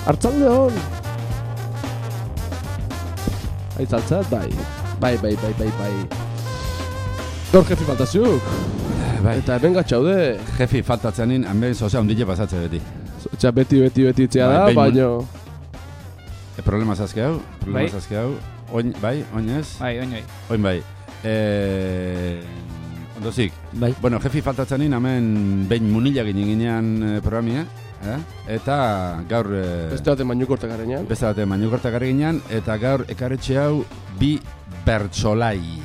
Artzalde hon! Aitzaltzat, bai. Gaur jefi faltaziuk. Bai. Eta hemen gatxaude. Jefi faltatzeanin, hemen zozea ondile pasatze beti. Osea, beti itzea da, Bai, baino... Problema zazke hau. Oin ez? Bai. Oin bai. Ondozik. Bai. Bueno, jefi faltatzeanin, hemen behin munila ginean programia. Eta gaur... Beste baten mainukortak garenean. Eta gaur ekarretxe hau bi bertsolai.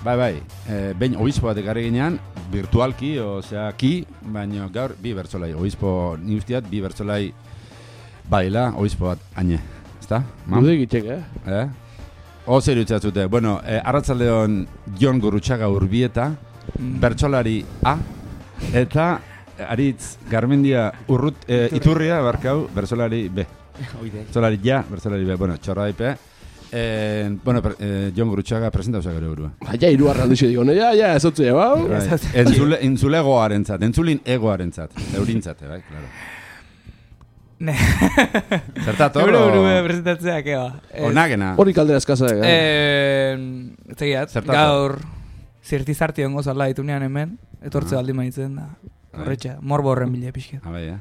Bai. Behin obispo bat ekarri ginean, virtualki, osea, baina gaur bi bertsolai. Obispo ni ustiat, bi bertsolai baila, obispo bat aine. Ezta? Gude egitek, Zer utzatzute. Bueno, arratzaldeon Jon Gurrutxaga Urbieta, bertsolari A, eta Aritz Garmendia Iturria, barkau, bertsolari B. Bertsolari ja, bertsolari B. Bueno, txorra daipe. Jon Gurrutxaga presentauza gero burua. Ja, iruarra aldixo digo, ja, ezotzu bau. Entzulegoarentzat, entzulin egoarentzat, eurintzat, bai, klaro. Zertat hor? Euro presentatzea, keba. Onagena. Hori kaldera eskasa. Zegiat, gaur zirtizarti ongo zala ditunean hemen, etortze aldi maitzen da. Horretxa, morbo horren bile pixket. Bai,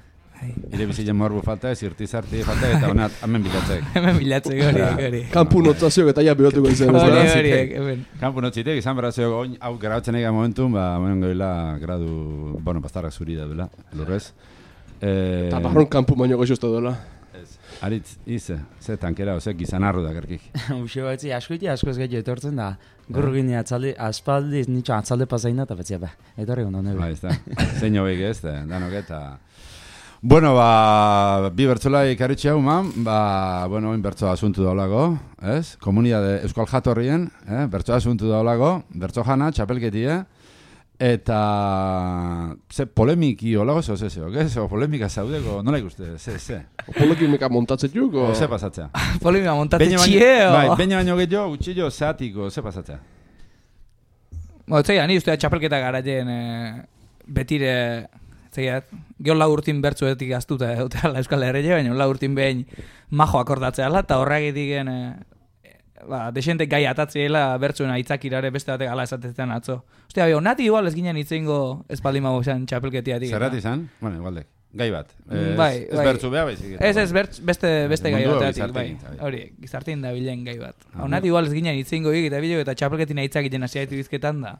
Ire bizitzen morbo falta, zirtizarti falta, eta honat, hemen bilatzek. Hemen bilatzek, hori. Kampu notzaziok eta ja pilotuko izan. Hori. Kampu notzitek, izan berazioak, oin hau grautzen ega momentun, moen goila gradu, bastarrak zuri da duela, lurrez. Eta barron kampu baino goxozta duela. Aritz, ze tankera, gizan arru da gerkik. Uxo batzi, asko ez gehiago etortzen da. Gurru gine aspaldiz nitxo atzalde pasaina eta betzia etorri gondo nebe. Ez da, zein hobek ez, danok eta... Bueno, bi bertzolai karritxe hau, oin bertzoa asuntu daulago, ez? Komunidade Euskal Jatorrien, bertzoa asuntu daulago, bertzo jana, txapelketia, eta ze polemiki olago zeok, ez? O polemika zaudeko, nola ikuste, ze? Polemika montatzetuk, o? Ze pasatzea? Polemika montatzetxie, o? Bai, baina baino gehiago, utxillo, zeatiko, ze pasatzea? Ni ustea txapelketa garaien betire... Zegiat, geho urtin bertzuetik aztuta eutela Euskal Herria, baina urtin behin majo akordatzeala, eta horregitik desentek gai atatzeela bertzuen aitzakirare beste batek ala esatezetan atzo. Ostia, nati igual ez ginen itzeingo espaldima boxan txapelketiatik. Zerrat izan? Bueno, igualdek. Gai bat. Ez Bai. bertzu beha baizik. Ez beste gai bateatik, bai. Hori, gizartin da bilen gai bat. Nati igual ez ginen itzeingo eta bideo eta txapelketin aitzakiten hasiaitu bizketan da.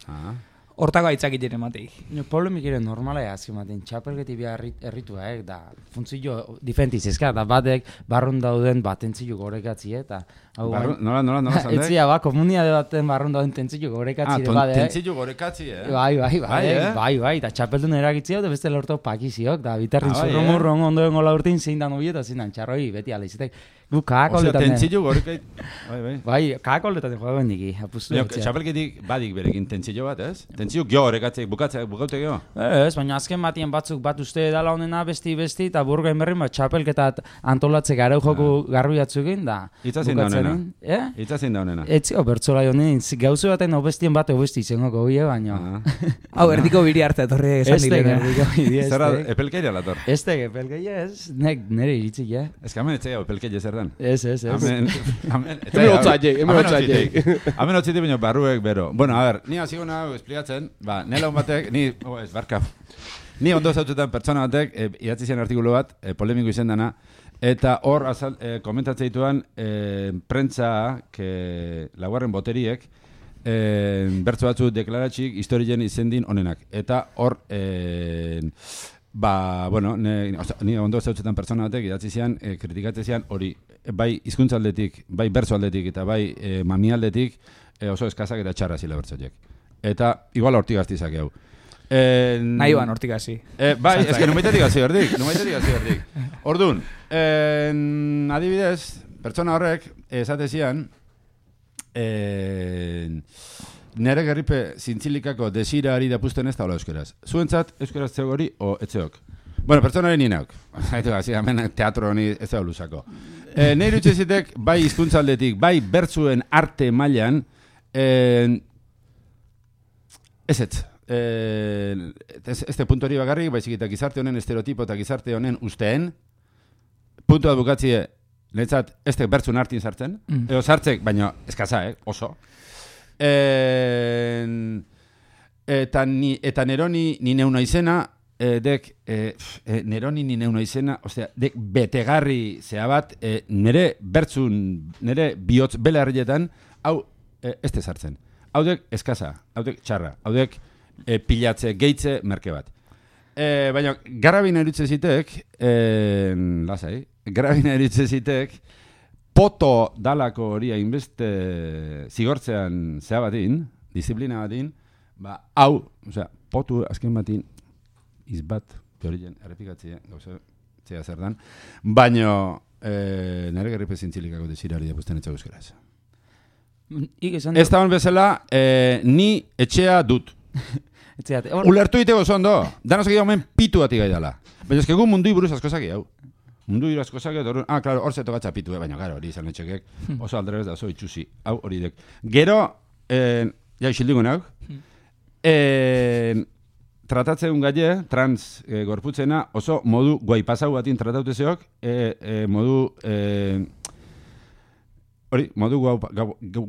Hortako aitzakiten emateik. Polemikire normala azkimaten, txapelgeti behar erritua, da funtzio difentiz ezka, da batek barrun dauden batentzio gorekatzi, eta... Nola zandek? Etzia, komuniade baten barrun dauden tentzio gorekatzi, bade. Tentzio gorekatzi, Bai, eta txapeldun eragitzia, da beste lortu pakiziok, da bitarrin zurrumurron ondoen gola urtin zein dan ubi, eta zein dan txarroi, beti alizitek. Gu kakakoletan... Osea, tentzio gorekait... Bai, kakakoletan joa bendiki, apustu. Txapelketik badik berekin tentzio bat, ez? Tentzio gio horrekatzek, bukaute gio? Ez, baina azken batien batzuk bat uste dala honena besti, eta burgain berrin bat txapelketat antolatzek arau joku garbi batzukin, da... Itzazin da honena. Etzio, bertzolai honen, gauzu baten obestien bat obesti izango goie, baina... Hau, erdiko biri hartza etorri esan dilena. Zerra, epelkeira lator? Epelkeia ez, nire iritzik, Ez que hemen etzea epelkeia zer den? Ez. Hemen otzaitek. Hemen otzaitek baina barruek bero. Bueno, a ver, ni hasiko nago esplikatzen, nela un batek, ni ondo zaututan pertsona batek, idatzi zen artikulu bat, polemiko izen dana, eta hor komentatzen dituan, prentza, laugarren boteriek, bertzo batzu deklaratxik historien izendin onenak. Eta hor, ni ondo zaututan pertsona batek, idatzi zian, kritikatzen zian, hori, bai hizkuntza aldetik, bai bertzo aldetik, eta bai mami aldetik, oso eskazak eta txarra zila bertzoiek. Eta igual hortik gaztizak hau. Nahi ban hortik gazi. Bai, ez que numeitetik gazi berdik. Orduan, adibidez, pertsona horrek, esate zian, nere gerripe zintzilikako desira ari dapusten ez da hola euskeraz. Zuentzat euskeraz zeogori o etzeok. Bueno, pertsonaren ninauk. Haitu gazi, hemen teatro honi ez da olusako. Nire utzizitek, bai hizkuntzaldetik, bai bertzuen arte mailan, ez puntu hori bakarrik, baizik eta gizarte honen estereotipo eta gizarte honen usteen, puntu bat bukatzie, netzat, estek bertzun hartin sartzen, edo sartzek, baina eskaza, oso. Eta neroni ni neuna izena, dek, neroni ni neuna izena, ostia, dek betegarri zea bat, nere bertzun, nere bihotz bela herrietan, hau, este sartzen. Hau dek eskaza, hau dek txarra, hau dek pilatze, geitze, merke bat. Baina, garabina erutze zitek, lasai, garabina erutze zitek, poto dalako hori hainbeste zigortzean zea batin, disiplina batin, hau, osea, potu azken batin, izbat, teorien, errepikatzea, gauza, zea zer dan, baina, nire gerripe zintzilikako desirari depusten etxak euskaraz. Ez da hon bezala, ni etxea dut. Ulertu iteko zondo, danos egia omen pitu bati gai dala. Baina ezkegu mundu buruz askozaki hau. Mundu buruz askozaki, claro, hor zeto gatza pitu, baina claro, hori izan etxekek, oso alderebez da oso itxusi, hau hori dek. Gero, ja isildiko nauk, tratatzen gaie, trans gorputzena, oso modu guaipasau batin tratautezeok, modu... Hori, modu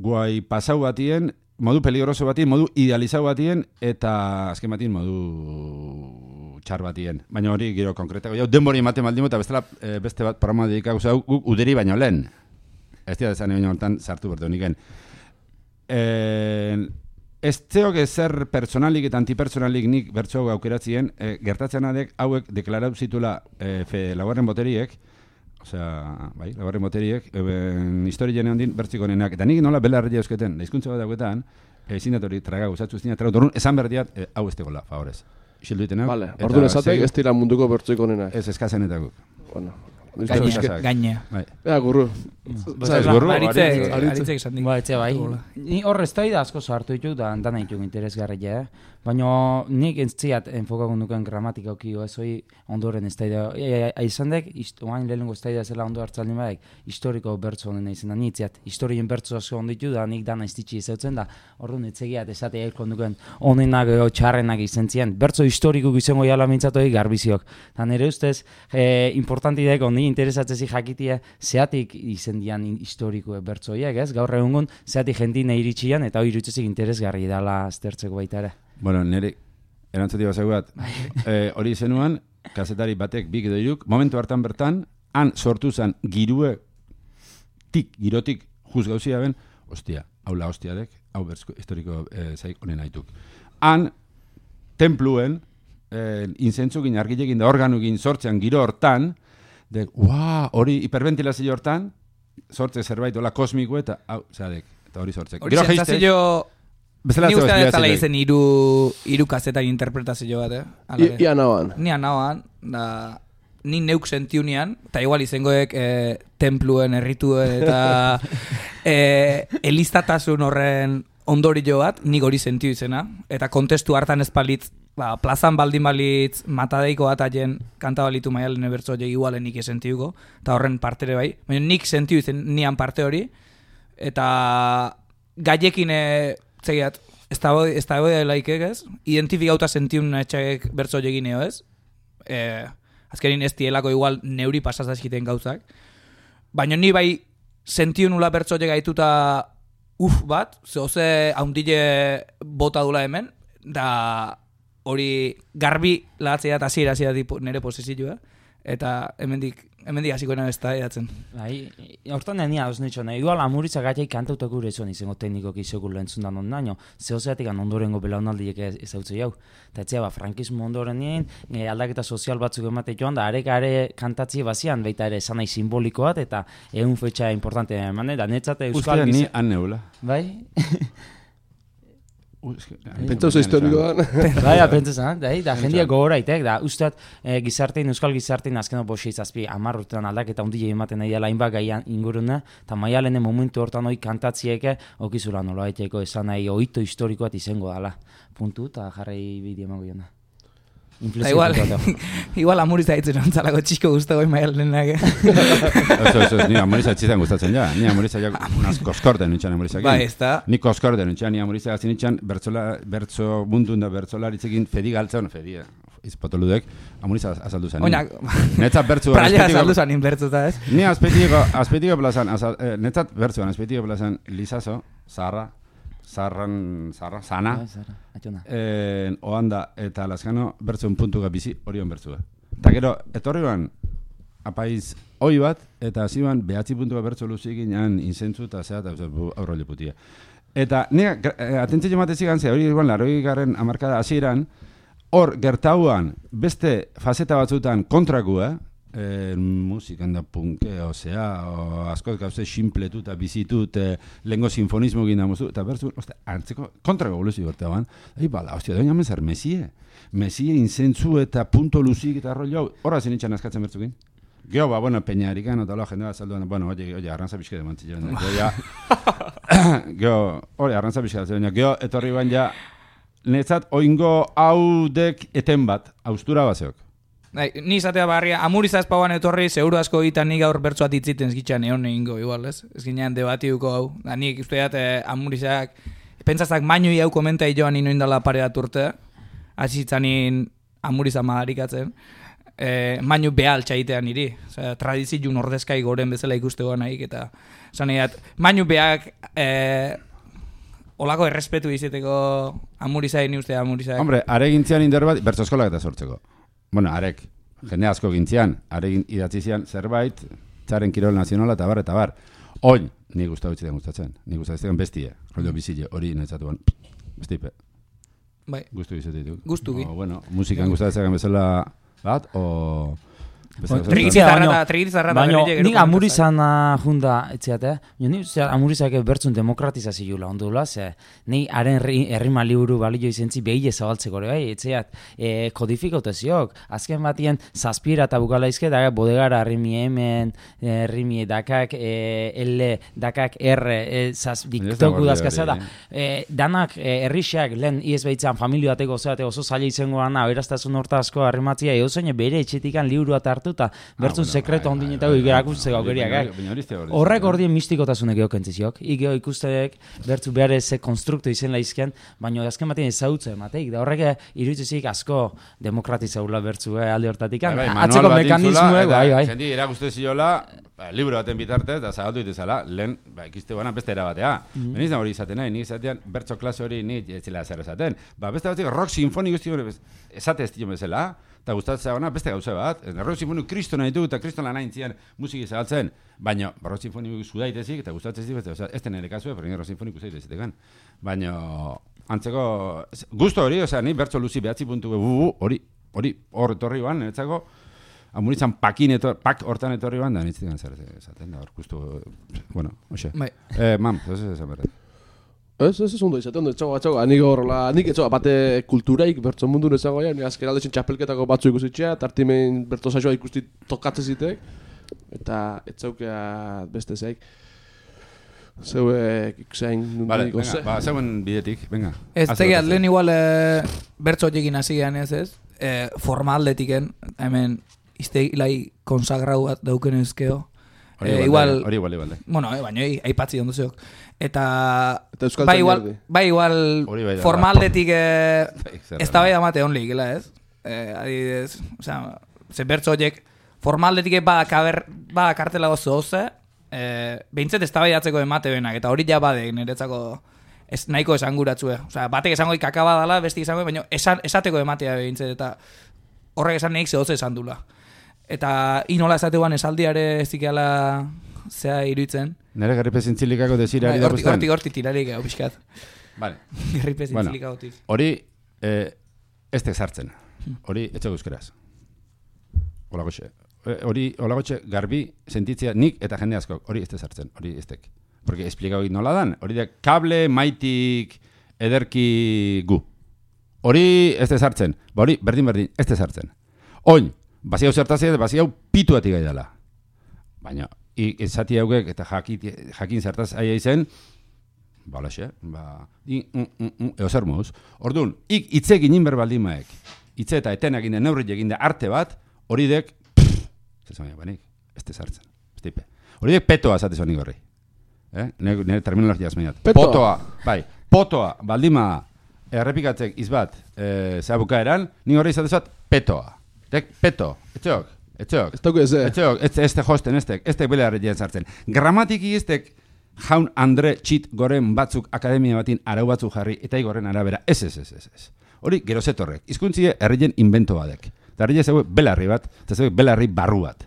guaipasau batien, modu peligroso batien, modu idealizau batien, eta azken batien modu txar batien. Baina hori gero konkretako, jau denbori ematen maldimu, eta beste bat programa dedikau zau, guk uderi baino lehen. Ez dira dezan egin hortan sartu bertu niken. Ez zeok ezer personalik eta antipersonalik nik bertso aukeratzien, gertatzen adek hauek deklaratu zitula laugarren boteriek, osea, bai, laugarren boteriek, historien handin bertziko nenak, eta nik nola belarria eusketen, daizkuntza bat dauketan, zindatori traga guzatzu zindatrau, dorun, esan berdiat, hau ez tegola, favorez. Isildu itenak. Vale, orduan esatek ez dira munduko bertziko nenak. Ez eskazenetaguk. Bueno. Gaine. Ea, gurru. Aritzek esan dik. Bai. Ni hor ez da asko sartu ditu, da dana ditu interesgarria, baina nik entziat enfokakun duken gramatikauki ez hoi ondoren ez da. Aizan dek, oain lehenengo ez da zela ondo hartzaldi badak, historiko bertso honen izan da, nitziat. Historien bertso asko onditu da, nik dana iztitsi izautzen da, orduan etzegiat esate elkon duken onenak edo txarrenak izan zian. Bertso historikuk izango jala mintzatoi garbiziok. Ta nire ustez, importanti dek, ondi interesatzezi jakitia, zeatik izen dian historiko bertsoiek, ez? Gaur egungun, zeatik jendine iritsian, eta hori irutzezik interesgarri dala aztertzeko baita ere. Bueno, nire erantzuti bazagu bat, hori izenuan, kazetari batek bik edo iruk, momentu hartan bertan, han sortu zen girotik juz gauzia ben, ostia, haula hostiadek, hau bertzko historiko zaik honen haituk. Han, templuen, inzentzukin, argilekin da organukin sortzean giro hortan, hori hiperventilazio hortan, sortze zerbait hola kosmiko eta hori sortzek. Hori sentzazio... Ni uste da zala izen iru kazetan interpretazio bat, Ia nahoan. Ni nahoan, ni neuk sentiunean, eta igual izangoek templuen, errituen, eta eliztatasun horren ondorio bat, nik hori sentiu izena, eta kontestu hartan ez palitz, plazan baldin balitz matadeiko bat aien kanta balitu maialen ebertzo hori igualen nik esentiuko, eta horren partere bai, baina nik sentiu izen nian parte hori, eta gaiekin zegiat, ez da boi laikek ez, identifikauta sentiun etxaek bertzo egineo ez, azkenin ez dielako igual neuri pasazazkiten gauzak, baina ni bai sentiun nula bertzo gaituta bat, zehoze haundile bota dula hemen, da hori garbi lahatzea eta hasiera nire posizioa, eta hemendik hasikoena ez da edatzen. Bai, hortan denia hauz nitxona, igual amuritzak gaiak kantautak gure izan izango teknikok izokul lehentzun da non naino, zehozeatik ondorengo belaunaldiek ez hautzei hau. Eta etzea, frankismo ondoren nien, aldaketa sozial batzuk emate joan, da are kantatzi bazian, baita ere esanai simboliko bat, eta egun fetxa importante eman, da netzate euskal... Uste ni han neula. Bai? Pentsauza historikoan. Bai, pentsauza, da jendia gogoraitek, da usteat gizartein, euskal gizartein azkeno boxei zazpi 10 urtean aldaketa hundile ematen nahi dela hainbat gaian inguruna, eta maialene momentu hortan hoi kantatzieke, okizula nola haiteko esan nahi oito historikoat izango dala. Puntu, eta jarrai bideo emango jona. Igual amuriza ditzen ontzalako txiko guztago maialenak. Eso, ni amuriza txitan gustatzen ja. Ni amuriza ja koskorde nintxan amuriza. Ba, ez da. Ni koskorde nintxan, ni amuriza gazin nintxan bertso mundun da bertzolaritzekin fedi galtza, fedia. izpotoludek, amuriza azaldu zen. Oinak, Netzat bertzuan. praia azaldu zen inbertzuta, ez? Ni azpeitiko plazan, netzat bertzuan, azpeitiko plazan, Lizazo, Zara, Sana, Oanda eta Lazkano bertzuen puntuga bizi horion bertzua. Eta gero, etorri ban, apaiz hoi bat, eta ziban behatzi puntua bertzu luzik inan inzentzu eta zehat, aurro leputia. Eta nire, atentzio matezik gantzea, hori igual, 80. hamarkada hasieran, hor gertauan beste fazeta batzutan kontrakua, musikan da punkeo, o askoz gauze simpletu eta bizitu, lehenko sinfonismo gina muzu, eta bertzu, antzeko kontrako evoluzio bertauan, bala, hostia, doina mezar, mesie inzentzu eta punto luzik eta rollo hau, horra zinitxan askatzen bertzukin. Geo, bueno, peñarikan, eta loa jendea salduan, bueno, oye, arrantza pixke de mantzilloen. Geo, arrantza pixke de geo, etorri ban ja, netzat, oingo haudek eten bat, austura bazeok. Ni izatea barria, amuriza espauan etorri, seguru asko egiten nik gaur bertzuat itziten ezkitxan egon egingo, igual, ez? Ez ginean debatiuko hau. Nik usteat amurizak, pentsazak mainoi hau komentai joan inoin dala pareat urte, azitzanin amuriza madarikatzen, mainu behal txaitean niri. Tradiziun ordezkai goren bezala ikustegoan nahik, eta zaneat, mainu behak olako errespetu izateko amurizai ni uste amurizak. Hombre, are gintzian indar bat, bertso eskolak eta sortzeko. Bueno, arek, jende asko gintzian, are idatzi zian zerbait, txaren kirol nazionala eta bar. Oin, ni gustatzen. Ni gustatzen bestia, rollo bizile, hori netzatuan, bestipe. Bai. Gustu izatetuk. Gustuki. Bueno, musikan gustatzen bezala bat, o... Trigitzarra baina nik amurizan junda etziat, ni amurizak bertzun demokratizazioa ondula, ze ni haren herrima liburu balio izentzi behile zabaltzeko ere, etziat, kodifikautaziok, azken batien zazpira eta bukala izke, da bodegara rimi hemen, rimi dakak, L, dakak R, diktoku dazkazea da, danak herrixak lehen iez behitzan familio bateko oso zaila izango gana, beraztasun horta asko arrimatzia, eusen bere etxetikan liburu eta eta bertzun sekreto ondinetako ikerakutzeko aukeriak. Horrek ordien mistikotazunek eokentziziok. Ikeo ikusteek bertzu behar ze konstruktu izen laizken, baina azken batean ezagutze emateik. Da horrek iruditzezik asko demokratizaula bertzu alde hortatik. Atzeko mekanismoek, bai. Jendi erakuste ziola, libro baten bitartez, da zagaldu dituzala, lehen, ikiste guana beste erabatea. Benizan hori izaten nahi, nik izatean bertso klase hori nik etzela zer esaten. Beste batzik rock sinfonik esate ez dio bezala, eta gustatzea gana beste gauza bat. Rock sinfonik kristo nahi du, eta kristo lan hain zian musiki zagaltzen, baina rock sinfonik zudaitezik, eta gustatzea ez ez den ere kasue, pero rock sinfonik usaitezetekan. Baina, antzeko, gusto hori, ni bertso luzi behatzi puntu hori hor etorri ban, netzako, amuritzan pak hortan etorri ban, da nitzitzen zer esaten, da hor, gustu, bueno, hoxe. Mam, ez esan berret. Ez ondo izaten, etxago, nik etxago, bate kulturaik bertso mundu nezago ja, ni azken aldezen txapelketako batzu ikusitxea, tartimen bertso saioa ikusti tokatzen zitek, eta etxaukea beste zeik. Zeuek ikusein nundiko ze. Vale, zeuen bidetik, venga. Ez tegiat, lehen igual bertso txekin hasi gehan ez, formaldetiken, hemen izteilai konsagrau bat dauken ezkeo. Hori igual. Bueno, baina aipatzi onduzeok. Eta bai igual formaldetik ez da bai amate honlik, ez? Adibidez, ze bertso horiek formaldetik bada kartela gozo hoze, behintzet ez da bai atzeko emate benak, eta hori ja badek niretzako nahiko esanguratzue. Batek esango kakaba dala, bestik esango, baina esateko ematea behintzet, eta horrek esan nahik zehoze esan dula. Eta inola esateguan esaldiare ez dikeala zea iruditzen. Nere garripe zintzilikako desirari da guztan? Horti tirarik hau pixkat. Vale. Garripe zintzilikagotik. Hori ez sartzen. Hori etxe guzkeraz. Olagotxe garbi sentitzea nik eta jende asko. Hori ez sartzen. Hori ez tek. Porque esplikau nola dan. Hori da kable maitik ederki gu. Hori ez sartzen. Hori berdin ez sartzen. Oin. Basi hau zertazia, basi hau pituatik gaidala. Baina, ezati haugek eta jakin zertaz aia izen, balaxe, eozer moz. Orduan, itze ginen berbaldimaiek, itze eta etenak ginen neurri egin da arte bat, hori dek, zezamia banik, ez tezartzen, ez tipe. Hori dek petoa zate zonik horri. Nire terminologia azmeniat. Potoa, baldima, errepikatzek izbat, zehabuka eran, nik horri izatezat, petoa. Dek peto, etxeok. Ez dauke ez, Etxeok, este josten, este belarreien sartzen. Gramatiki estek jaun Andre txit goren batzuk akademia batin arau batzuk jarri, eta igorren arabera, ez. Hori, gero zetorrek. Hizkuntzie herrien invento badek. Eta herrien zeuek belarri bat, eta zeuek belarri barru bat.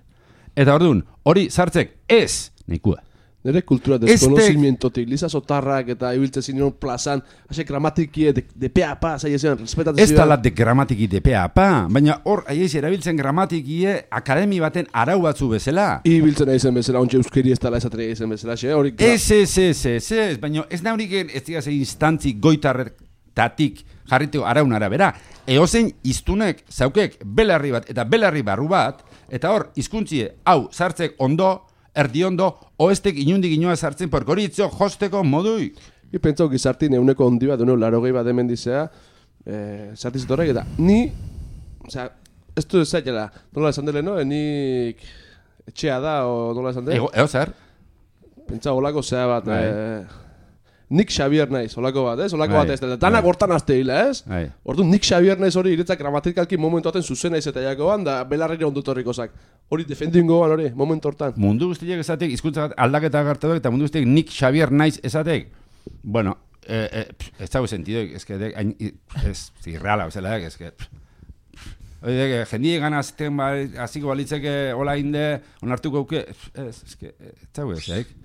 Eta orduan, hori sartzek ez, nahikua. Nere kultura deskonozimientotik, Liza Sotarrak eta ibiltzen zinean plazan, hase gramatikie de pe a pa, zaiezen, respetatzen Ez tala de gramatiki de pe a pa, baina hor, aiez erabiltzen gramatikie akademi baten arau batzu bezala. Ibiltzen aizen bezala, ontsa euskeri ez tala esatria aizen bezala, hori... Ez, baina ez nauriken ez digaz instantzi goitarretatik jarriteko araun arabera. Eozein iztunek zaukek belarri bat eta belarri barru bat, eta hor, hizkuntzie hau sartzek ondo, erdiondo, oestek inundik inoa sartzen porkoritzio josteko modui. Pentsau gizartin euneko ondi bat, 80 bat hemen dizea, sartiz horrek, eta ni, osea, ez du zaitela, nola esan dele, no? Nik etxea da, o nola esan dele? Ego zer? Pentsau olako zea bat, Nik Xavier naiz, olako bat, ez? Olako bat ez, danak hortan azte hila, ez? Orduan, Nik Xavier naiz hori iretzak gramatikalki momentu aten zuzen naiz eta jakoan, da belarrire ondutorriko zak. Hori defendingo ban hori, momentu hortan. Mundu guztiek esatek, hizkuntza aldaketa gartatuak, eta mundu guztiek Nik Xavier naiz esatek. Bueno, ez dago sentidoik, ez irreala, bezala, ez que... Oide, jendie gana azten aziko balitzeke hola inde, onartuko auke, ez dago esaik.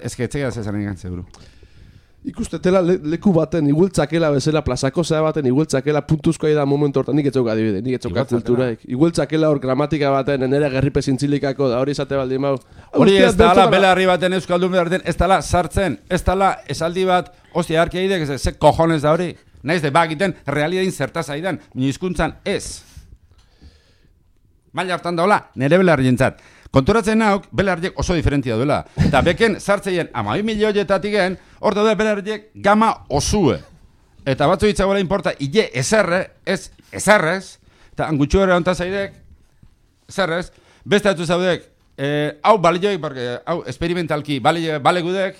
Ez que etxeak zezaren egan, seguru. Ikustetela leku baten igueltzakela bezala, plazako zea baten igueltzakela puntuzkoa da momentu hortan, nik etxok adibide, nik etxok kulturaik. Igueltzakela hor gramatika baten, nere gerripe zintzilikako da, hori esate baldin mau. Hori ez dala belarri baten euskaldun belarten, ez dala sartzen, ez dala esaldi bat, ostia harkia idek, ze kojones da hori. Naiz de bagiten, realidain zertaz aidan, hizkuntzan ez. Maila hartan daula, nere belarri jentzat. Konturatzen nauk, belarriek oso diferentia duela. Eta beken sartzeien 12 milioietatik gen, hor daude belarriek gama osue. Eta batzu hitzagoela importa, ile ezerre, ez ezerrez, eta angutxu ere onta zaidek, ezerrez, beste atu zaudek, hau balioik, hau experimentalki bale gudek,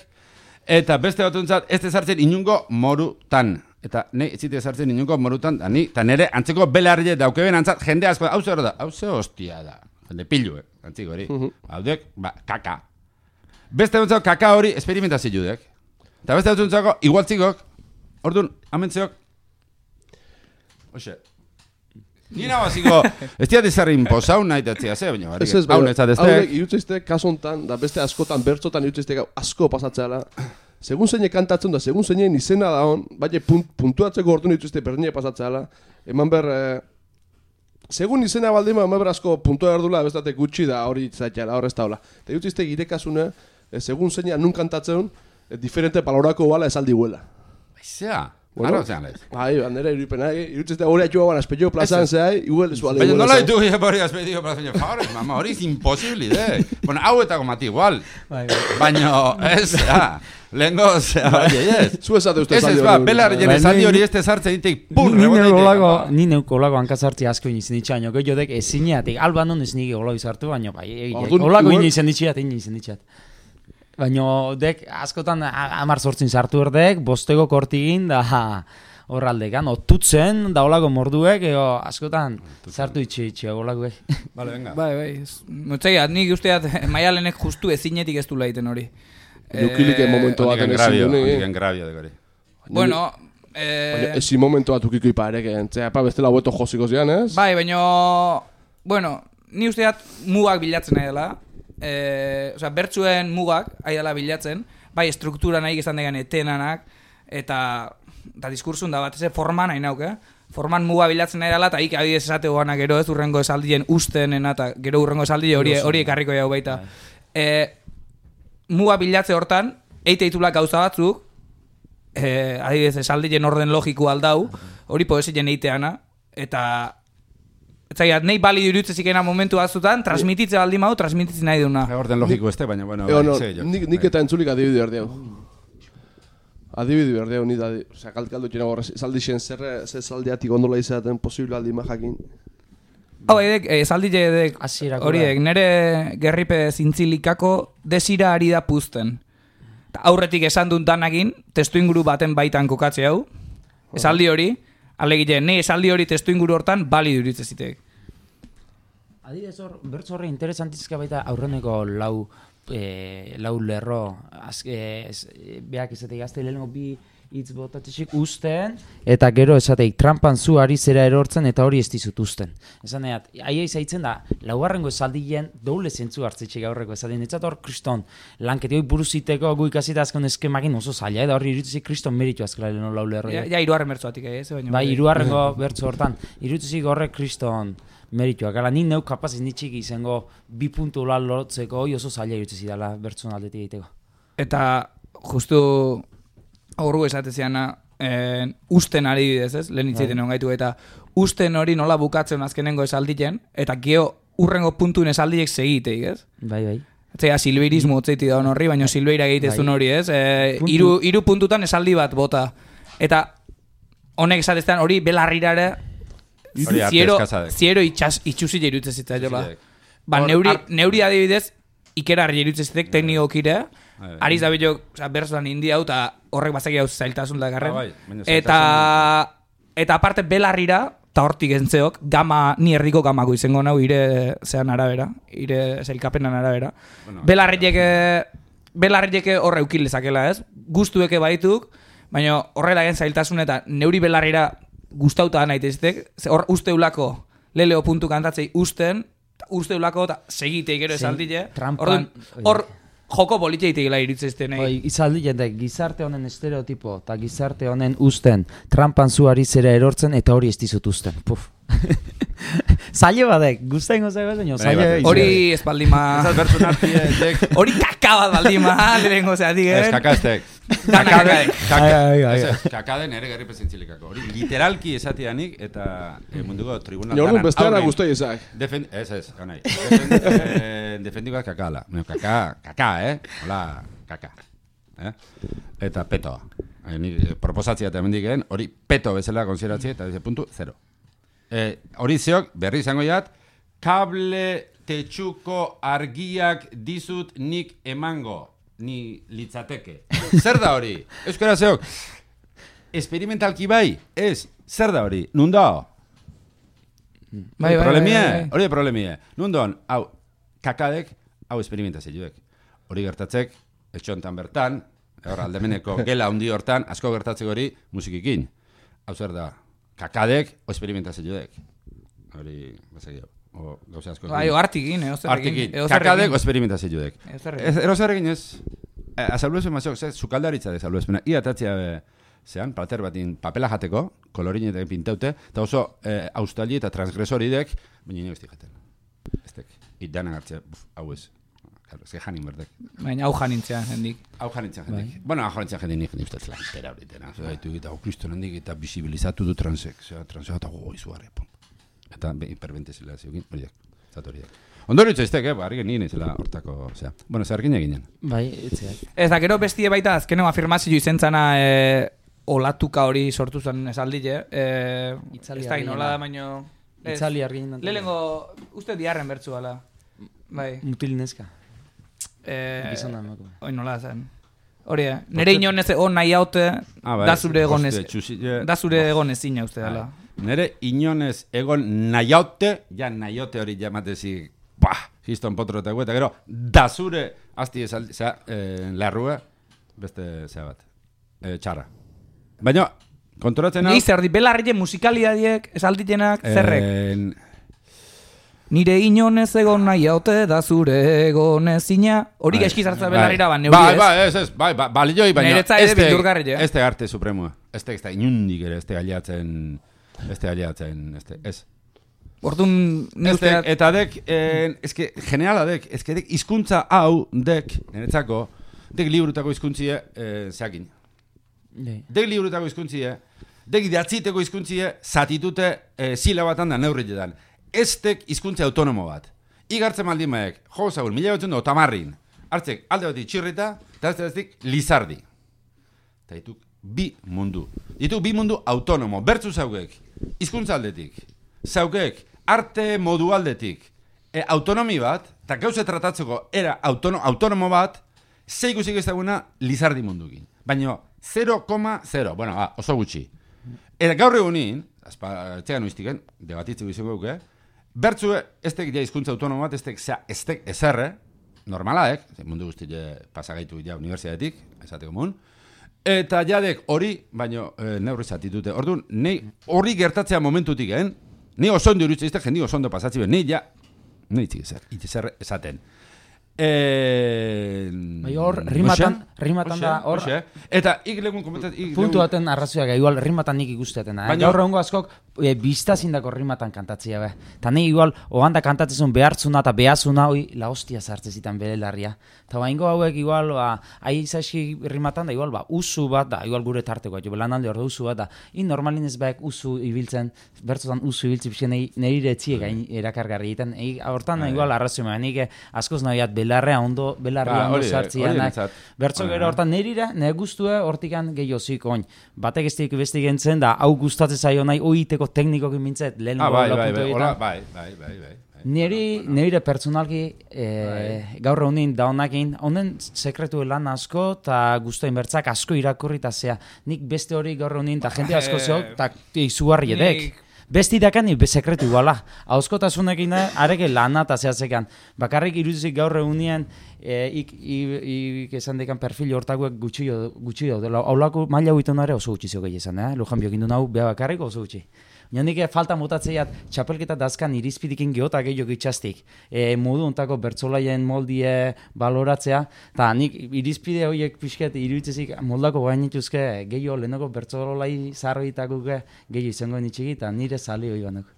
eta beste batuntzat, ez sartzen inungo morutan. Eta ne, ez zite sartzen inungo morutan, eta nire antzeko belarriek daukeben antzat, jende asko, hau zer da, hau ze hostia da. Jende pilu, antziko hori. Haudek, kaka. Beste batzuk kaka hori experimentazio judek. Eta beste batzuk igualtzikok, orduan, amentzeok. Oxe. Nina baziko, ez diat izarri imposau nahi tetzia ze, baina barrik. Ez, haudek, irutzizte kasontan, da beste askotan, bertzotan irutzizte asko pasatzeala. Segun zeine kantatzen da, segun zeinein izena da hon, baina puntuatzeko orduan irutzizte berdine pasatzeala. Eman ber... Segun izena baldima, asko puntua erdula, bestatek gutxi da hori zaitela, hor ez da hola. Eta jutizte girekasune, segun zeina nun kantatzen, diferente palorako bala esaldi huela. Baizea, gara zean lez. Bai, bandera irupena, irutizte hori atxua gana espetxo plazan zehai, igual ez bale. Baina nola ditu hori espetxo plazan, favores, mama, hori es imposible, Bueno, hau eta gomati igual. Baina, ez, lehenko, zu esate uste saldi hori. Ez, belarrien esaldi hori este sartzen ditek, Ni neuko olako hankazartzi asko inizen ditxaino, gehiodek ezineatik, alban non ez nire olako izartu, baina bai, olako inizen ditxeat. Baina dek askotan 10-8 sartu erdek, bostego kortigin da horraldekan, otutzen da olako morduek, askotan sartu itxe olakoek. Bale, venga. Bai, notzaiat, nik usteat maialenek justu ezinetik ez du laiten hori. Nukilike momentu baten ezin duni. Oniken grabio de gori. Bueno, ezi momentu bat ukiko iparek, entzea, bestela hueto josiko zian, ez? Bai, baina, bueno, ni usteat mugak bilatzen nahi dela. Osea, bertzuen mugak ari dela bilatzen, bai struktura nahi izan degan etenanak, eta diskursun da bat, ez forman nahi nauk, forman muga bilatzen nahi dela, eta ik abidez esate goana gero ez urrengo esaldien ustenena, eta gero urrengo esaldien hori ekarriko jau baita. Muga bilatze hortan, eitulak gauza batzuk, adibidez esaldien orden logiko aldau, hori poesien eiteana, eta Zaiat, nahi bali durutzezikena momentu batzutan, transmititze baldin mau, transmititze nahi duna. Orden logiko este, baina, bueno... Nik eta entzulik adibide berdeu. Adibide berdeu, nik da... Osa, kaldu txena gorra, esaldixen zer saldiatik ondola izaten posible aldi majakin. Hau, esaldile edek, horiek, nere gerripe zintzilikako desira ari da puzten. Aurretik esan dut danakin, testu inguru baten baitan kokatze hau, esaldi hori, Alegite, ne esaldi hori testu inguru hortan bali duritze zitek. Adibidez bertso horre interesantizka baita aurreneko lau lerro, beak esateik azte lehenko bi hitz botatxik usten, eta gero esateik trampan zu ari zera erortzen eta hori ez dizut usten. Esan eat, aia izaitzen da, laugarrengo esaldien doble zentzu hartzitxik aurreko esaten, etzat hor kriston lanketi hori buruziteko gu ikasita azken eskemagin oso zaila, eta hori irutzik kriston meritu azkela leheno lau lerro. Ja, hirugarren bertzoatik ez? Bai, hirugarrengo bertzo hortan, irutzik horrek kriston merituak. Gala, ni neu kapaz nitxik izango 2 puntu lan lotzeko hori oso zaila irutzi zidala bertzon aldetik egiteko. Eta justu horru esateziana usten ari bidez, ez? Lehen hitzaiten egon gaitu eta usten hori nola bukatzen azkenengo esaldien, eta geo urrengo puntuen esaldiek segiteik, ez? Bai. Etzea, silbeirismo otzeiti daun horri, baina silbeira egitezun hori, ez? Hiru puntutan esaldi bat bota. Eta honek esatezean hori belarrirare ziero itxusile irutze zita jola. Ba, neuri adibidez, ikerarri irutze zitek teknikokire, ariz da billo, berzoan india hau, eta horrek bazaki hau zailtasun da garren. Eta aparte belarrira, eta hortik entzeok, ni herriko gamako izango nau, ire zean arabera, ire zelkapenan arabera. Belarrieke horre eukil lezakela, ez? Guztueke baituk, baina horrela gen zailtasun eta neuri belarrira gustauta naitezitek, hor usteulako leleo puntu kantatzei usteulako eta segitei gero esaldile. Hor joko politxeitik gila iritzezten egin. Izaldile da gizarte honen estereotipo eta gizarte honen usten trampan zu ari zera erortzen eta hori ez dizut usten. Puf. Zaile badek, guztain gozak baina zaile. Hori espaldima. Hori kaka bat baldima, lehenko zeatik, Ez kakaztek. Kakaden ere gerri presentzilikako. Hori literalki esatianik eta munduko tribunal dana. Jorun besteara guztai ezak. Ez, ganai. Defendikoak kakala. Kaka, hola, kaka. Eta petoa. Proposatzia eta mendiken, hori peto bezala konsideratzea eta puntu, 0. Hori zeok, berri izango jat, kable tetxuko argiak dizut nik emango, ni litzateke. Zer da hori? Euskara zeok, esperimentalki bai, ez, zer da hori? Nundao? Bai. Hori problemie. Nundon, hau, kakadek, hau esperimentazioek. Hori gertatzek, etxontan bertan, hor aldemeneko gela handi hortan, asko gertatzeko hori musikikin. Hau zer da? Kakadek o esperimentazioek. Hori, bazakio. O gauza asko. Bai, artikin, Artikin. Kakadek o esperimentazioek. Erozerrekin ez. Azalduezen mazok, sukaldaritza dezalduezpena. Ia tatzia zean, pater batin papela jateko, kolorinetek pintaute, eta oso austali eta transgresoridek, baina nio jaten. Estek, itdanan hartzea, hau ez. Claro, ez que janin berdek. Baina hau janintzea jendik. Bueno, hau janintzea jendik nik ustez lantera horitena. Zaitu eta kriston handik eta bisibilizatu du transek. Transek eta gogo izugarri. Eta hiperventezila ziokin, horiek. Zatoriak. Ondoritza iztek, argi nien izela hortako, zera. Bueno, zergin eginen. Bai, etzeak. Ez da, gero bestie baita azkeneko afirmazio izentzana olatuka hori sortu zen esaldile. Ez da, nola da, baino... Itzali argin. Lehenko, uste diarren bertzu bala. Bai. Mutil neska. Gizona emako. Hoi nola zen. Hori, nire inonez egon nahi haute, da zure egon ezina uste dela. Nire inonez egon nahi haute, ja nahi haute hori jamatezi, histon potro eta gueta, gero, da zure, azti esaldi, larrua, beste zea bat, txarra. Baina, konturatzen hau... Ni zer di, belarrile musikaliadiek, esalditenak, zerrek? Nire inonez egon nahi haute, da zure egon ezina. Hori gaizki zartza belarrira, neuri ez. Balioi, baina este arte supremua. Este inundik ere, este galiatzen, ez. Orduan, neusteat... Eta dek, generala dek, dek hizkuntza hau, dek, niretzako, dek liburutako hizkuntzie, zeakin. Dek liburutako hizkuntzie, dek idatziteko hizkuntzie, zatitute silabatan da neurritetan. Estek hizkuntza autonomo bat. Igartzen maldimaek, jo zaur, 1980, hartzek alde bat itxirrita, eta ez eztik lizardi. Eta dituk bi mundu. Dituk bi mundu autonomo, bertzu zaugek, hizkuntza aldetik. Zaugek, arte modu aldetik. Autonomi bat, eta gauze tratatzeko era autonomo bat, zeikusik ezaguna lizardi mundukin. Baina 0,0, bueno, oso gutxi. Eta gaur egunin, etxegan uiztiken, debatitzen izango duke, bertzue, ez tek ja hizkuntza autonomo bat, ez tek ezerre, normalaek, mundu guzti pasagaitu ja universitatetik, esateko mun, eta jadek hori, baino neurri zatitute. Orduan, nei hori gertatzea momentutik, ni oso ondo iruditzen izte, jendi oso ondo pasatzi ben, ni itzik esaten. Bai hor, rimatan da, hor... Eta ik legun komentatzen... Puntu baten arrazoiak, igual rimatan nik ikusteaten. Gaur egungo askok biztazindako rimatan kantatzea, be. Ta nik igual, oganda kantatzezun behartzuna eta behazuna, hoi la hostia sartzezitan bere larria. Eta baingo hauek igual, aizaski rimatan da, igual, usu bat da, igual gure tarteko, jo, lanalde hor da usu bat da. Normalin ez baek usu ibiltzen, bertzotan usu ibiltzen pixen nire etziek erakargarri egiten. Hortan, igual, arrazioa, nik askoz nahiat belarria ondo sartzianak. Bertzo gero hortan nire guztue hortikan gehiozik oin. Batek ez dik besti gentzen da, hau gustatzen zaio nahi, oiteko teknikokin mintzet, lehen bai. Nire pertsonalki gaur honin daunakin, honen sekretu lan asko eta guztoin bertzak asko irakurri eta zea. Nik beste hori gaur honin eta jente asko zeo eta izugarri edek. Besti dakan sekretu iguala. Hauskotasunekin areke lana eta zehatzekan. Bakarrik irudizik gaur egunien ik esan dekan perfil hortakuek gutxi daudela. Haulako maila huiton ere oso gutxi zeo gehi esan, Lujan biokin du nahu beha bakarrik oso gutxi. Nik falta motatzeiat txapelketa dazkan irizpidikin gehotak gehiago itxastik. Modu ontako bertzolaien moldie baloratzea, eta nik irizpide horiek pixket iruditzezik moldako gainituzke gehiago lehenoko bertzolai zarroitakuke gehiago izango nitxiki, eta nire zali hori banok.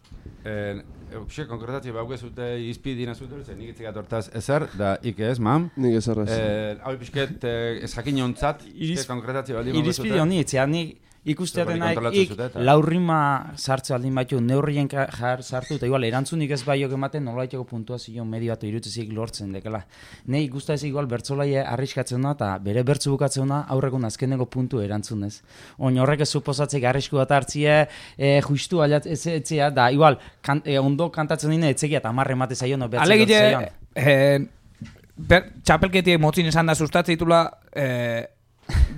Xe, konkretatzi bauke zute izpidina zute, nik itzik atortaz ezer, da ik ez, mam? Nik ezer ez. Hau pixket ez jakin jontzat, konkretatzi baldi bauke zute? Irizpide honi itzean, nik ikusteaten nahi, laurrima sartze aldin baitu, neurrien sartu, eta igual, erantzunik ez baiok ematen, nolaiteko puntuazio medio bat irutzezik lortzen dekela. Nei guzta ez igual bertzolaie arriskatzen da, eta bere bertzu bukatzen da, aurrekun azkeneko puntu erantzunez. Oin horrek ez suposatzeik arrisku bat hartzie, justu etzea, da igual, ondo kantatzen dine, etzekia eta amarre emate zaion, Alegite, txapelketiek motzin esan da sustatzeitula,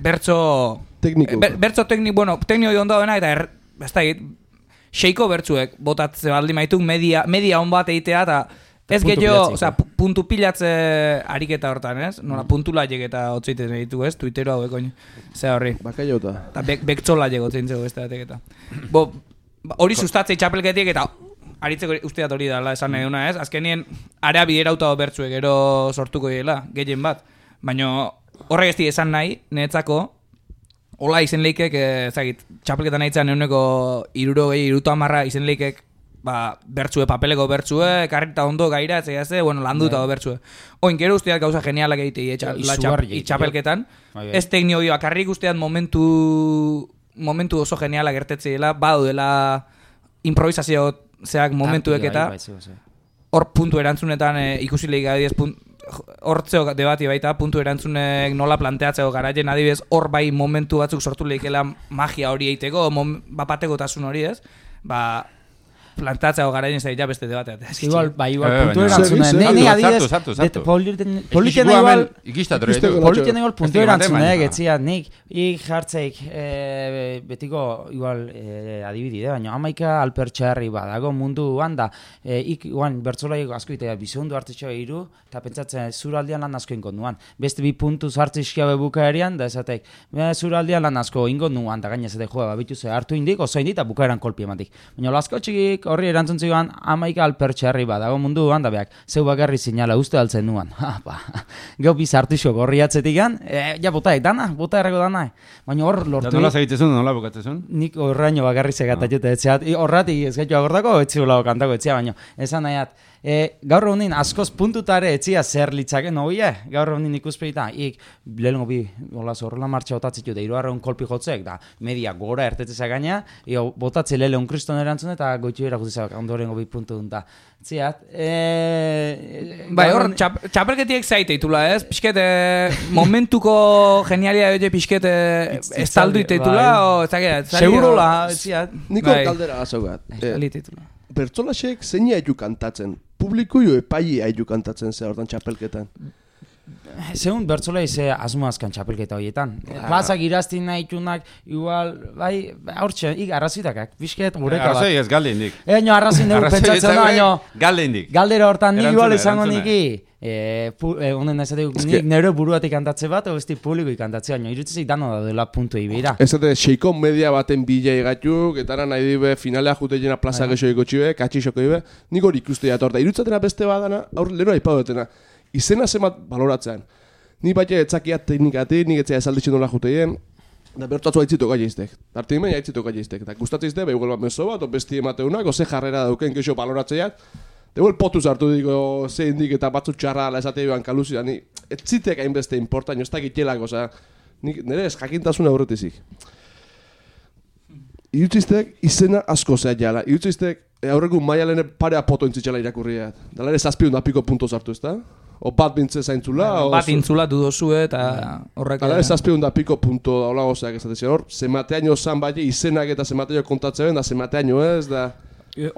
bertzo tekniko, bueno, tekniko hon dauena, eta ez da, xeiko bertzuek botatze baldi maituk media on bat eitea, eta ez gehiago, puntu pilatze ariketa hortan, ez? Nola, puntu laiek eta otzeiten ditu, ez? Twittero hauek oin, ze horri. Bakaiota. Eta bektzo laiek otzein zego ez da, eta. Hori sustatzei txapelketiek, eta aritzeko usteat hori dala esan nahi duna, ez? Azkenien, area biderauta bertzuek ero sortuko dira, gehien bat. Baina horrek ez di esan nahi, niretzako, hola izen leikek, txapelketan nahitzen eguneko 60 izen leikek, bertzue, papeleko bertzue, karrita ondo gaira, bueno, landuta bertzue. Oin, gero usteat gauza genialak egitei txapelketan. Ez teknio hori bakarrik usteat momentu oso genialak gertetzeela, badu dela improvisazio zeak momentuek eta hor puntu erantzunetan ikusileik adibidez hortzeo debati baita, puntu erantzunek nola planteatzeko garaien adibidez hor bai momentu batzuk sortu leikela magia hori eiteko, bapateko tasun hori ez, plantatzeko garaien ez da beste debatea. Igual puntu erantzunen, nei adibidez, politien igual puntu erantzunek, etzia, nik jartzeik betiko igual adibidide, baina amaika alpertxarri badago mundu handa, igual bertzolaik asko itea bizondu hartzetxoa iru, eta pentsatzen zuraldian lan asko ingo nuan. Beste bi puntu zartzizkiabe bukaerian, da esatek, zuraldian lan asko ingo nuan, da gaina esatek joa, babitu ze hartu indik, oso indik, eta bukaeran kolpi ematik. Baina lasko txikik horri erantzun zioan, amaika alpertxarri badago mundu handa beak, zeu bakarri zinala uste altzen nuan. Gau bizartixo gorri atzetikan, ja bota erreko dana. Baina hor lortu... Nola segitzezun, nola bukatzezun? Nik horreino bakarri segatatxeta etxeat, horrati ez gaitu agordako, etxiulao kantako etxea, baina esan nahiat, gaur honin askoz puntutare etxia zer litzaken hoie, gaur honin ikuspeita, lehenko bi horrela martxa botatzitu, da iruarreun kolpi jotzek, da media gora ertetzea gaina, botatze lehun kriston erantzun eta goitxu erakutizak ondorengo bi puntu dunta. Ziat, bai, hor, txapelketiek zaiteitula, ez? Pisket, momentuko genialia edo pisket estaldu iteitula, o segurola, ziat. Niko kaldera gazogat. Bertzolasek zein haitu kantatzen? Publiko jo epai haitu kantatzen ze hortan txapelketan? Zeun bertzolei ze asmo azkan txapelketa horietan. Plazak iraztin nahi tunak, igual, bai, hortxe, arrazitakak, bizket, gureka bat. Arrazoi ez galde indik. Eño arrazin dugu pentsatzen da, baino, galde indik. galdera hortan ni igual izango Erantzuna. niki, honen esatek, nik nire buruatik kantatze bat, o besti publiko kantatze, baina irutzezik dano da dela puntu ibira. Ez dute, seiko media baten bila egatuk, eta nahi dibe finalea jute jena plaza gexoiko txibe, katxixoko ibe, nik hori ikuste jatorta. Irutzatena beste badana, aur lehenu aipau dutena. Izena zemat baloratzean. Ni baina etzakiat teknikatik, nik etzea esalditzen nola juteien, da bertatu haitzitu gaiztek. Tartin meia haitzitu gaiztek. Eta gustatzizte, behuel bat meso bat, o besti emateunak, o ze jarrera dauken kexo baloratzeat. Deguel potuz hartu diko ze indik eta batzu txarra ala esate joan kaluzia, ni etzitek hainbeste importain, ez dakitelak, oza, nire ez jakintasuna horretizik. Irutziztek izena asko zehat jala, irutziztek aurreko maialene parea poto intzitxela irakurriat. Dala ere 700 punto sartu ez da? O bat bintze zaintzula? Bat intzula dudozue eta horrek... Dala ere 700 punto daula gozeak esatezian hor, zemateaino zan bai izenak eta zemateaino kontatzen da zemateaino ez da...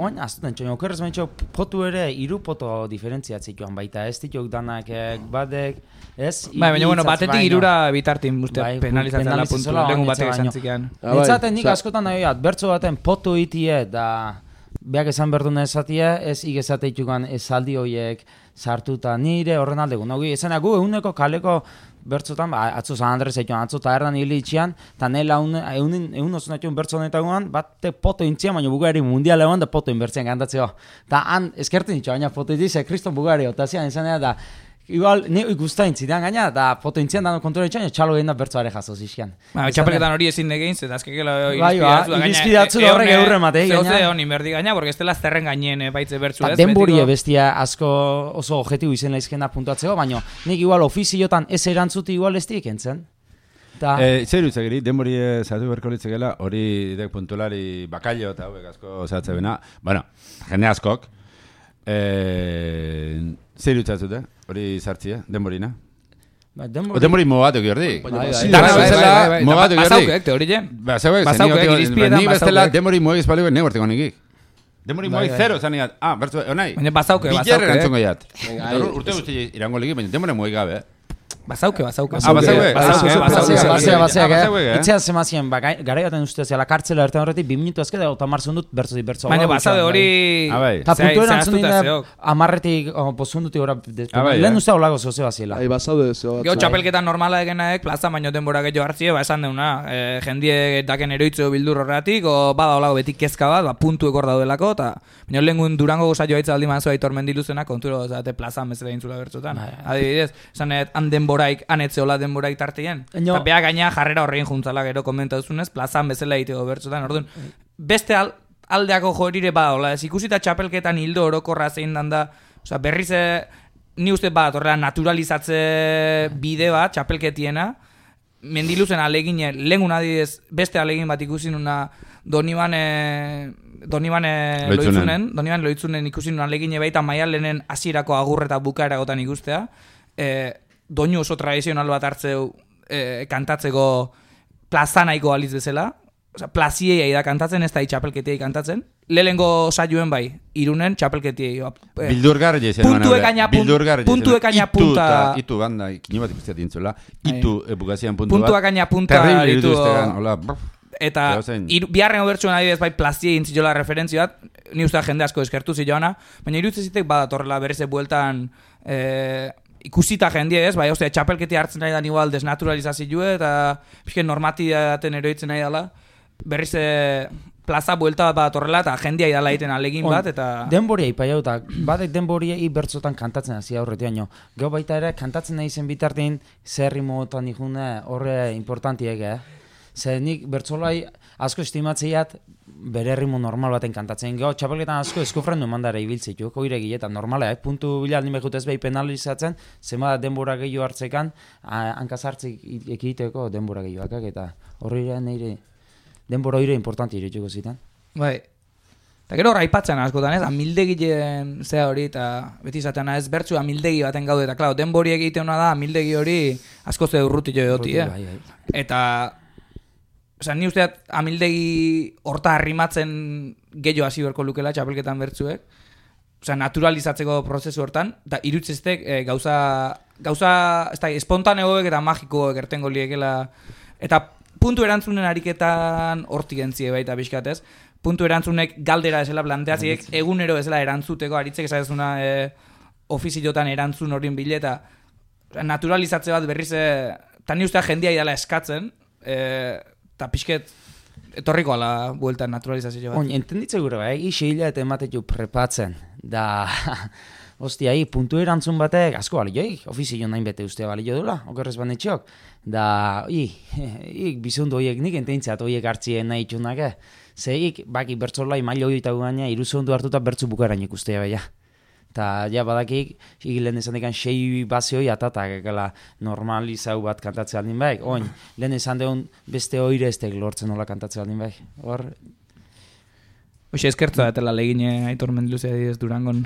Oin, azten txon, okerrez baintxo, potu ere, iru poto diferentziatzik joan baita, ez dituk danak badek, ez? Baina, bueno, batetik irura bitartin uste penalizatzen la puntu, lengu batek esan zikean. Nintzaten nik askotan nahi bat, bertso baten potu itie da... Beak esan berduna esatia, ez igezateitukan esaldi horiek sartuta nire horren aldegu. Nogi, esena gu eguneko kaleko bertzotan, atzo San Andres eituen, atzo taerdan hili itxian, eta nela egun oso natuen bertzo honetagoan, bat poto intzian, baina Bugari mundial egon da poto inbertzean gantatzeo. Eta han eskerten itxo, baina poto itize, Kriston Bugari, eta zian izan da, igual, ni ikustain zidean gaina, da poto intzian dano kontura itxan, txalo egin da bertzoare jaso zizkian. Txapelketan hori ezin degein, eta azkekela irizpidatzu da horrek eurre matei gaina. Zehoze honi berdi gaina, porque ez dela zerren gainen baitze bertzu ez. Denborie bestia asko oso objektibo izen laizkena puntuatzeko, baina nik igual ofiziotan ez erantzuti igual ez dik entzen. Zer utzegiri, denbori zatu berko litzekela, hori dek puntulari bakailo eta hauek asko zatze bena. Bueno, jende askok. Zer utzazute, hori zartzia, denborina? Denbori mogatu giordik. Dana bezala mogatu giordik. Basaukek, teorien. Basaukek, irizpietan ni bestela denbori moegi espalikoen negorteko nikik. Denbori moegi zero zaniat. Bertzu, onai. Baina basauke. Bilerren antzongo jat. Urte guzti irango ligi, baina denbori moegi gabe. Basauke. Itzean zemazien, garaiaten ustez, ala kartzela erten horretik, 2 minutu ezke da, eta marzundut bertzotik bertzo. Baina basaude hori... Eta puntu erantzun dine, amarretik, pozundutik ora... Lehen uste holago zozeo baziela. Basaude zeo. Geo txapelketan normala egenaek, plaza baino denbora gehiago hartzie, esan deuna, jendie daken eroitzeo bildur horretik, o bada holago betik kezka bat, puntu ekor daudelako, eta baina lehengun Durango gozaio haitza aldi manzua Aitor Mendiluzena, konturo, zate plazan bezala intzula bertzotan. Adibidez, esanet, denboraik, anetzeola denboraik tartien. Eta beha gaina jarrera horrein juntzala gero komenta duzunez, plazan bezala egiteko bertzotan. Orduan, beste aldeako jorire bada, ez ikusita txapelketan hildo orokorra zein da, oza, berriz ni uste bat, horrela naturalizatze bide bat, txapelketiena, Mendiluzen alegine, lehengun adidez, beste alegin bat ikusi nuna Donibane loitzunen ikusi nuna alegine baita Maialenen hasierako agurre eta bukaeragotan ikustea, doinu oso tradizional bat hartzeu kantatzeko plazanaiko aliz bezala, plaziei da kantatzen, ez da txapelketiei kantatzen. Lehengo saioen bai, Irunen txapelketiei. Bildurgarri jezen. Puntuek aina punta. Itu banda, kini bat ikusteat dintzula. Itu bukazian puntu bat. Puntuak aina punta. Terrible irituztegan, hola. Eta biharren obertsuan adibidez bai plaziei intziola referentzia bat, ni uste jende asko eskertu ziloana, baina irutzezitek badatorrela bereze bueltan ikusita jendie ez, bai, ostia, txapelketi hartzen nahi da igual desnaturalizazioa eta pixken normatidaten eroitzen nahi dela, berriz plaza buelta bat horrela eta jendia idala egiten alegin bat eta... Denboria ipaiau eta batek denboria bertzotan kantatzen hasi aurretiaino. Gero baita ere kantatzen nahi zen bitartin zerrimotan ikune horre importantiek, Zer nik bertzolai asko estimatzeiat bere errimo normal baten kantatzen. Gero txapelketan asko eskofrendu emandara ibiltzitu, koire giletan normala, puntu bila aldin behut ez behi penalizatzen, zema denbora gehiago hartzekan, hankazartzik ekiteko denbora gehiagoak, eta horri nire denbora hori importanti irituko zitan. Bai. Eta gero raipatzen askotan ez, amildegilen zea hori, eta beti izaten ez bertzu amildegi baten gaude, eta klar, denbori egiteuna da amildegi hori asko ze urrutio edoti, Eta... Osa, ni usteat amildegi horta arrimatzen gehiago hasi berko lukela txapelketan bertzuek. Osa, naturalizatzeko prozesu hortan, eta irutzeztek gauza gauza, ez da, espontaneoek eta magikoek ertengo liekela, eta puntu erantzunen ariketan hortik entzie baita pixkatez, puntu erantzunek galdera esela planteatziek, egunero esela erantzuteko, aritzek esagezuna ofiziotan erantzun horien bileta, naturalizatze bat berriz, eta ni ustea jendia idala eskatzen, eta pixket, etorriko ala bueltan naturalizazio bat. Entenditze gure, isi hilete ematetu prepatzen, da... Ostia, puntu erantzun batek, asko balioik, ofizio nahin bete ustea balio dula, okerrez banetxok. Da, bizundu horiek nik ententzat horiek hartzien nahi txunak, Ze baki bertzolai mailo hori eta gugaina, iruzundu hartuta bertzu bukarain ikustea baina. Ta, ja, badakik, lehen esan dekan 6 bazioi atatak, normalizau bat kantatzea aldin baik. Lehen esan deun beste oire estek lortzen nola kantatzea aldin baik. Hor... Hoxe eskertza etela legine Aitor Mendiluzea didez Durangon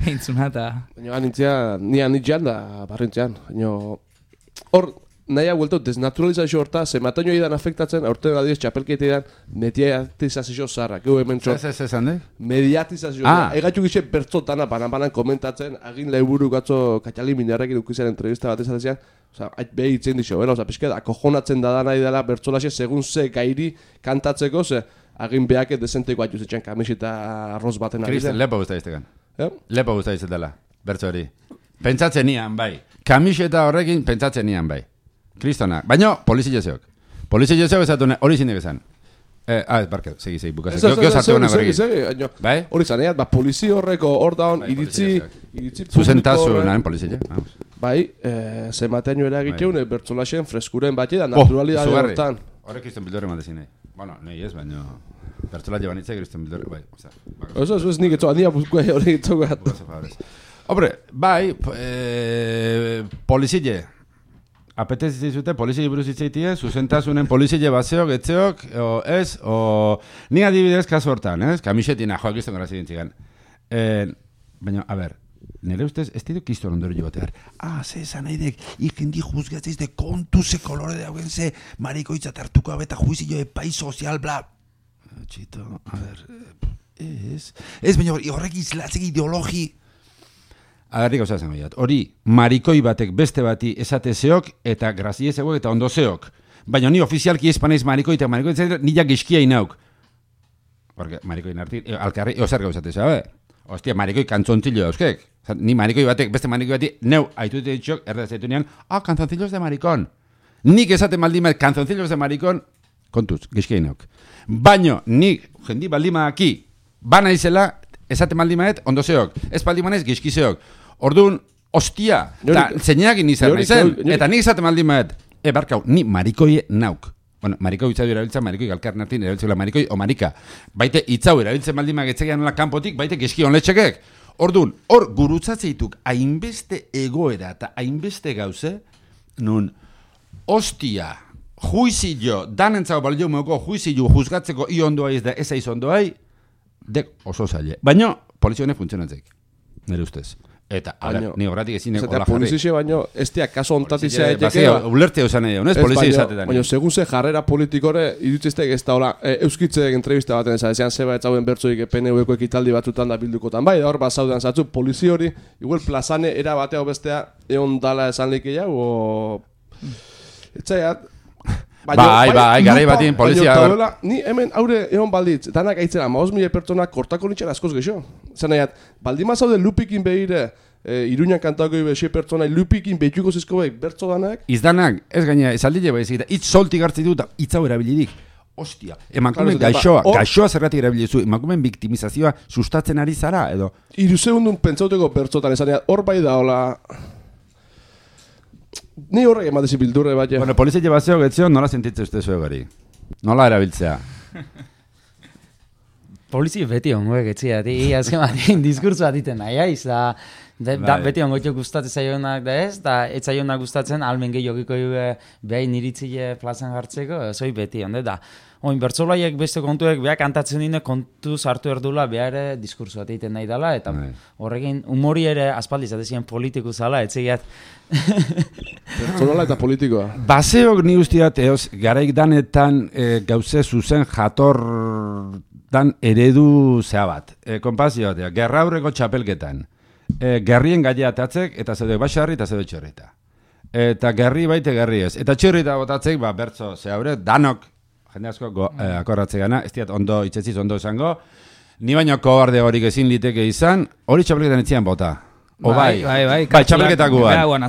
eintzuna eta... Baina nintzen da barrintzean. Hor, nahi hau desnaturalizazio horta, ze mataino idan afektatzen, aurten adibidez txapelketean mediatizazio zarra. Geu hemen txot. Mediatizazio. Egatxu gixe bertzotana banan komentatzen, agin laiburu gatzo Katxali Minarrekin ukizaren entrevista bat ezatezian, behi itzen dixo, pixket, akojonatzen da nahi dela bertzolaxe segun ze gairi kantatzeko, ze agin behaket desenteko atxuzetxean kamiseta arroz baten ari. Kristen, lepo guzta iztegan. Lepo guzta iztetela, bertzo hori. Pentsatzen nian, bai. Kamiseta horrekin pentsatzen nian, bai. Kristona. Baina, polizia zeok ezatu hori zinek esan. Barke, segi, bukazen. Gio sartu hona gorrekin. Bai? Hori zan, polizia horreko hor daun iritzi zuzentasunaren polizia. Bai, zematean eragiteun bertzolaxen freskuren bat da naturalidade hortan. Horrek Kristen bildore mandezine. Bueno, nahi ez, baina... Bertzola llevan itze, Kristen bildore, bai. Eso es nik etxoa, nia buzkoa hori etxoa. Hombre, bai, polizile. Apetez izute, polizile buruz itzeitie, zuzentasunen polizile bazeok, etzeok, ez, ni adibidez kasu hortan, ez? Kamisetina, joak izten gara zidintzigan. Baina, a ber, nire ustez, ez ditu kiston ondoro joatear. Ze esan naidek, ikendi juzgatzeiz de kontu ze kolore de haugen ze marikoitza tartuko abeta juizio epai sozial, bla. Txito, a ber, ez, baina horrek izlatzek ideologi... Agarrik hau zazen goiat. Hori, marikoi batek beste bati esatezeok eta graziezeok eta ondozeok. Baina ni ofizialki espaneiz marikoi eta marikoi etzatzen nilak iskia inauk. Porque marikoi narti, alkarri, ozer gauzatez, Ostia, marikoi kantzontzillo dauzkek. Ni marikoi batek, beste marikoi bati, neu, haitu ditxok, erdezaitu nian, kantzontzillos de marikon. Nik esate maldimat, kantzontzillos de marikon, kontuz, iskia inauk. Baina, nik, jendi baldimadaki, bana izela, esate maldimaet, ondozeok. Ez baldimanez, gizkizeok. Orduan, ostia, eta zeinekin izan naizen, eta nik izate maldimaet, barkau, ni marikoie nauk. Bueno, marikoi itzau erabiltza, marikoi galkar nartin erabiltzela marikoi o marika. Baite itzau erabiltzen maldimak etzegean nola kanpotik, baite gizki honletxekek. Orduan, hor gurutzatzeituk hainbeste egoera eta hainbeste gauze, nun, ostia, juizillo, danentzako balio moko juizillo juzgatzeko ondoa ez da ez aiz ondoai, dek oso zaile. Baina, polizionek funtzionatzeik, nire ustez. Eta, ni horretik ezin hola jarri. Polizia baino, ez diak kaso ontatizia eteke. Ulerte eusan edo, ez? Polizia izatetan. Baina, segun ze jarrera politikore, irutziztek ez da hola, euskitzek entrevista baten esan zeba ez hauen bertzoik PNV-ko ekitaldi batzutan da bildukotan. Bai, da hor bat zaudean zatzu, polizia hori, igual plazane era batea bestea egon dala esan leke jau, etzaiat. Bai, garai batin polizia... Ni hemen haure egon balditz, danak aitzera, 5.000 pertsonak kortako nitxera askoz gexo. Zan nahiat, baldima zaude lupikin behire, Iruñan kantako ibe 6 pertsona, lupikin behituko zizko behik, bertzo danak. Izdanak, ez gaina, esaldile behar ezagita, itz soltik hartzi dut, itzau erabilidik. Ostia, emakumen gaixoa zerratik erabilizu, emakumen biktimizazioa sustatzen ari zara, edo? 3 segundun pentsauteko bertzotan, esan nahiat, hor bai da, hola... Ni horrek ematezi bildurre bat, ja. Bueno, polizia bazeo getzion, nola sentitze uste zuen gari? Nola erabiltzea? Polizia beti ongoek etzia, azken batean diskurtzu atiten nahi, da beti ongoetio gustatzen zaionak da ez, da ez zaionak gustatzen almen gehiagiko behain iritzile plazan jartzeko, zoi beti, onde da. Oin, bertzolaiek beste kontuek beha kantatzen dine kontu sartu erdula behar diskurtzu bat egiten nahi dela, eta horrekin humori ere aspaldi zatezien politiku zala, etzegiat. Bertzolala eta politikoa. Baseok ni ustiat, garaik danetan gauze zuzen jator dan eredu zea bat. Konpazio batea, gerraurreko txapelketan. gerrien gaia atatzek, eta zede baxarri eta zede txorrita. Eta gerri baite gerri ez. Eta txorrita botatzek, bertzo, haure, danok, jende asko akorratze gana, ez diat ondo, itxetziz ondo esango, ni baino kobarde horik ezin liteke izan, hori txapelketan etzian bota. Bai, txapelketak guan.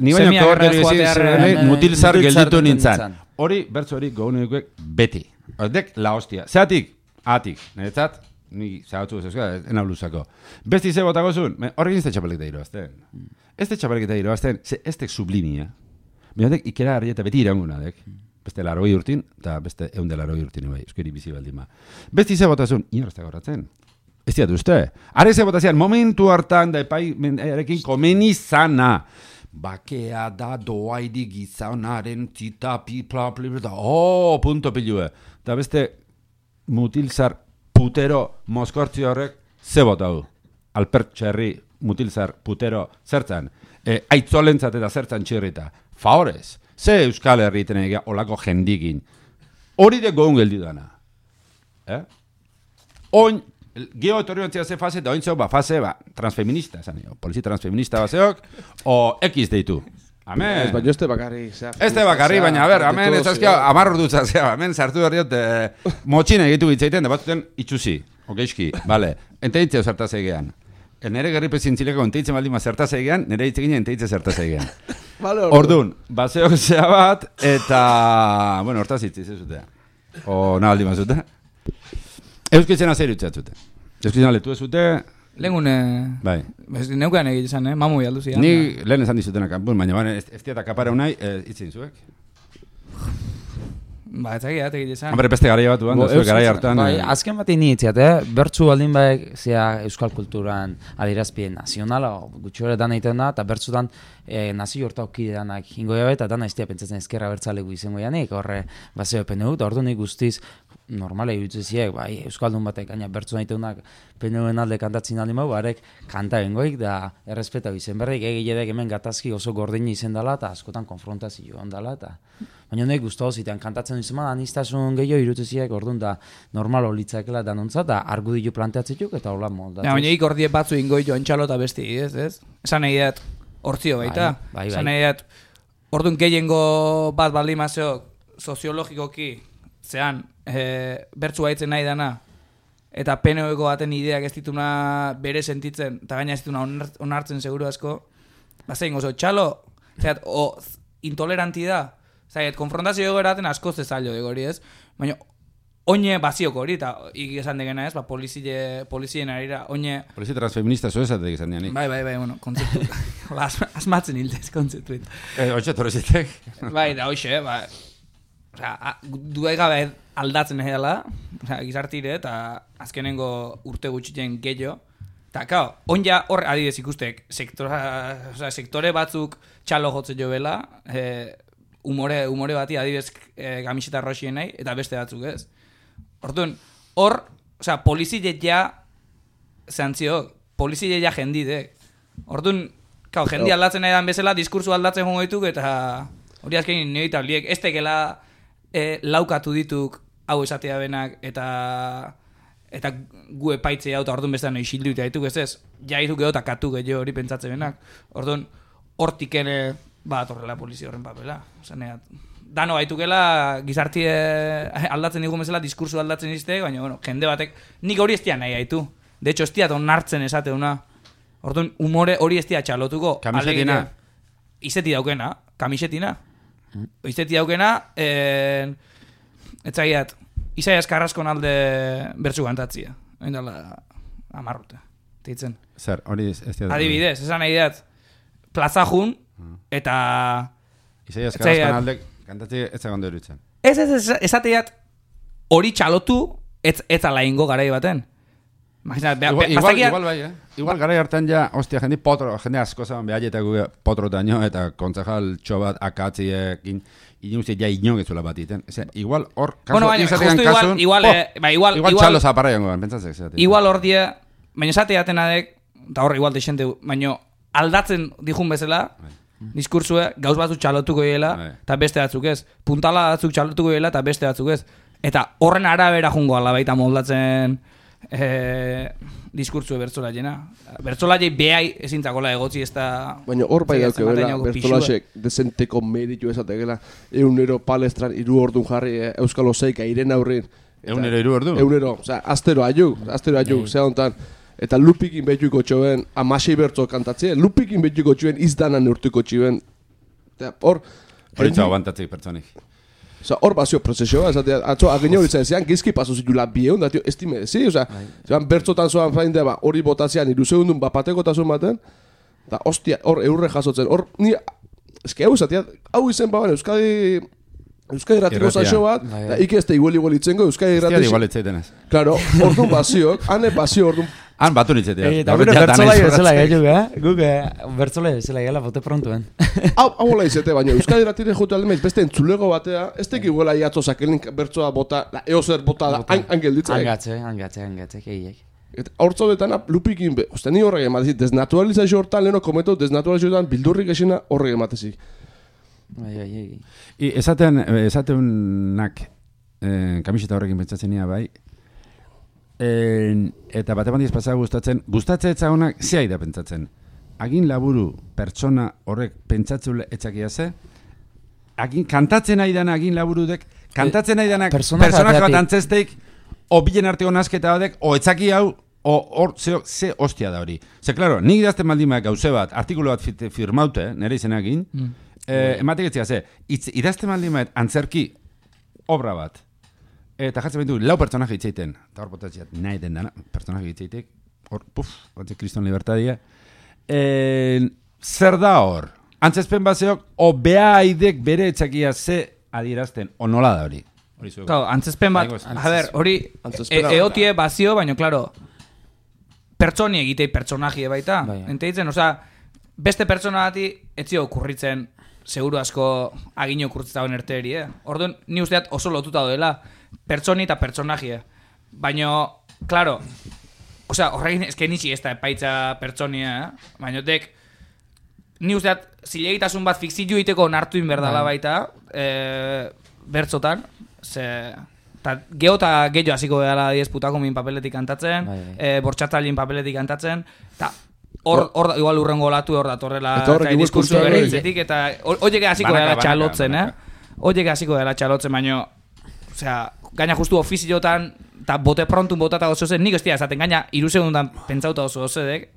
Ni baino kobarde horik ezin izan, mutilzar gelditu nintzen. Hori, bertzo hori, gogunekuek beti. Dek, la hostia. Zeatik, atik, niretzat, ni zagatu ena blusako. Besti ze botako zuen, horrekin ez da txapelketa irabazten. Ez da txapelketa irabazten, ez da sublimia. Binatek, ikera harri eta beti iranguna, dek. Beste 80 urtin, eta beste 180 urtin, bai, euskeri bizi baldin ba. Besti ze bota zuen, inorreztak horretzen. Ez diatu uste. Are ze bota zean, momentu hartan da erekin komeni zana. Bakea da doaidi gizaunaren tita pipla punto pilue. Da beste mutilzar putero moskortzi horrek ze botau. Alpert txerri mutilzar putero zertzan. Aitzolentzat eta zertzan txirrita. Favorez, ze Euskal Herrieten egia olako jendikin. Hori de goun geldi dana. Oin, geho etorriontzia ze fase, da ointzeo fase transfeminista, polizi transfeminista baseok, o X deitu. Amen. Baina ez te bakarri. Ez te bakarri, baina, amen, ez azkia, amarro dutza, amen, sartu berriot, motxina egitu gitzaiten, da batzuten itxusi, okeiski, bale, enteitzeo zertaz egean. Nere gerripe zintzileko enteitzen baldima zertaz egean, nere hitzekin enteitze zertaz egean. Ordun, baseok zea bat, eta, bueno, hortaz hitziz ez zutea. O, nabaldi mazute. Euskitzen azeri utzatzute. Euskitzen letu ez zute. Lehengune... Bai. Neukean egit izan, mamu jaldu zidan. Ni lehen esan dizutenak, baina ez diata kapara unai, itzin zuek. Etzakia, egit izan. Hombre, beste garai bat duan, zuek garai hartan. Bai, azken bat initziat, bertzu baldin baek, zea euskal kulturan adirazpien nazionala, gutxore dan egiten da, eta bertzutan nazio horta okideanak hingo jabe, eta dana iztia pentsatzen ezkerra bertzalegu izango janik, horre bazeo PNU, eta ordu nik guztiz, normale irutziziek, bai, euskaldun batek, gaina bertzu nahiteunak PNUen alde kantatzen aldi mau, barek kanta bengoik, da errespeta izen berrik, egiledek hemen gatazki oso gordini izen dela, eta askotan konfrontazio ondala, eta baina honek guztu zitean kantatzen izan, anistasun gehiago irutziziek, orduan da normal olitzakela danontza, eta argudilu planteatzetuk, eta hola moldatzen. Baina hik ordie batzu ingoi joan txalo eta besti, ez? Esan egiat, hortzio baita. Esan egiat, orduan gehiengo bat baldimazio soziologikoki, zean, bertzu baitzen nahi dana, eta PNOeko baten ideak ez dituna bere sentitzen, eta gaina ez dituna onartzen seguru asko, bazein oso txalo, zeat, intoleranti da, zaiet, konfrontazio egeraten asko zezailo degori ez, baina oine bazioko hori, eta esan degena ez, polizien arira, oine... Polizi transfeminista zo esatek izan dianik. Bai, bueno, kontzeptu. Asmatzen hildez, kontzeptu. Hoxe torrezitek. Bai, da hoxe, duegabe aldatzen edala, gizartire, eta azkenengo urte gutxiten gehiago. Eta, kao, onja hor adibidez ikustek, sektore batzuk txalo jotzen jo bela, umore bati adibidez gamiseta roxien nahi, eta beste batzuk ez. Orduan, hor, polizile ja, polizile ja jendidek. Orduan, kao, jendi aldatzen nahi dan bezala, diskursu aldatzen jongoituk, eta hori azkenin nioita liek, ez tekela laukatu dituk hau esatea benak, eta gu epaitze hau, eta orduan bestean isildu eta dituk, ez, jaitu geho eta katu geho hori pentsatze benak. Orduan, hortik ere, horrela polizia horren papela. Dano gaitukela gizartie aldatzen digun bezala, diskursu aldatzen izte, baina, bueno, jende batek, nik hori ez dian nahi gaitu. De hecho, ez diat onartzen esateuna. Orduan, humore hori ez diat txalotuko. Kamisetina? Izeti daukena, kamisetina. Izeti daukena, etzagiat, Isaias Carrascon alde bertzu kantatzia. Oindala, amarrute. Teitzen. Zer, hori ez diat. Adibidez, esan nahi dat, plazajun, eta... Isaias Carrascon alde kantatzi ez zagondo erutzen. Ez, esateat, hori txalotu, ez ala ingo garai baten. Igual bai, Igual garai hartan ja, hostia, jende asko zaban behaietaku potrotaino, eta kontzejal txobat akatziekin, inuzit ja inogetzula bat iten. Igual hor, igual txalo zaparra jango, pentsatzek. Igual hor die, baina esateatenadek, eta hor igual deixente, baina aldatzen dijun bezala, diskursue, gauz batzuk txalotuko dela, eta beste batzuk ez. Puntala batzuk txalotuko dela, eta beste batzuk ez. Eta horren arabera jungo ala baita moldatzen diskurtzu bertzolaiena. Bertzolaiei behai ezintzakola egotzi ez da... Baina hor bai dauke bela, bertzolasek desenteko meritu ezatekela, eunero palestran 3 ordun jarri Euskal Oseika iren aurrin. Eunero 3 ordu? Eunero, oza, astero aiu, zea hontan. Eta lupikin betuiko txoben, amasei bertzo kantatzea, lupikin betuiko txoben izdanan urtuko txiben. Hor... Horitza aguantatzeik pertsonik. Osa, hor bazio prozesioa, atzo agin hori zean, gizki paso zitula bieun, da, tio, estime, zi, osa, zean bertzotan zoan fain deba, hori botazioan, 2 segundun bapateko tasun baten, da, ostia, hor eurre jasotzen, hor, ni, eski hau zatea, hau izen baban, Euskadi ratiko zaxo bat, da, ikeste igual itzengo, Euskadi ratiko... Eztia igual itzeitenez. Claro, orduan baziok, ane bazio orduan... Han batu nitzetea. Eta gure bertzolai bezala gaitu, guk bertzolai bezala gela bote prontuen. Hau hola izete, baina Euskadi ratire jote aldemeiz, beste entzulego batea, ez teki iguela iatzo sakelin bertzoa bota, eozer bota da, angelditzea. Angatze, keiek. Eta hortzo detana lupikin, oste ni horrek ematezi, desnaturalizazio hortan, leheno kometo, desnaturalizazio hortan, bildurrik esina horrek ematezi. Esatenak kamiseta horrekin pentsatzen nia bai, eta bate bandiz pasau gustatzen etzagonak zehai da pentsatzen. Agin laburu pertsona horrek pentsatzule etxakia ze, kantatzen nahi dana agin laburudek, kantatzen nahi danak personak bat antzesteik, o bilen arteko nasketa badek, o etzaki hau, hor ze ostia da hori. Ze, klaro, nik idazten baldin gauze bat, artikulu bat firmaute, nire izenagin, ematek etzia ze, idazten baldin antzerki obra bat, eta jartzen behitu, 4 pertsonaje itzeiten, eta hor botatziat nahi den dana, pertsonaje itzeitek, hor, batze kriston libertadia, zer da hor? Antzezpen bazeok, o beha aidek bere etxakia ze adierazten, o nola da hori? Claro, antzezpen bat, hori eotie bazio, baina, klaro, pertsoni egitei personajie baita. Ente ditzen, beste pertsona bati etzio okurritzen seguru asko agino kurtzitauen erteri, Orduan, ni usteat oso lotuta doela, pertsoni eta personajie. Baina, klaro, horrekin ezken nitsi ez da epaitza pertsonia, baina dek, ni usteat zilegitasun bat fikzio iteko onartu inberdala baita, bertzotan, geho eta gehiago hasiko dela 10 putako min papeletik kantatzen, bortxatalin papeletik kantatzen, eta hor igual urrengo olatu hor datorrela diskursu bere hitzetik, eta horiek hasiko dela txalotzen, horiek hasiko dela txalotzen, baina, gaina justu ofiziotan, eta bote prontun botata oso zen, nik estia esaten, gaina 3 segundan pentsauta oso zedek,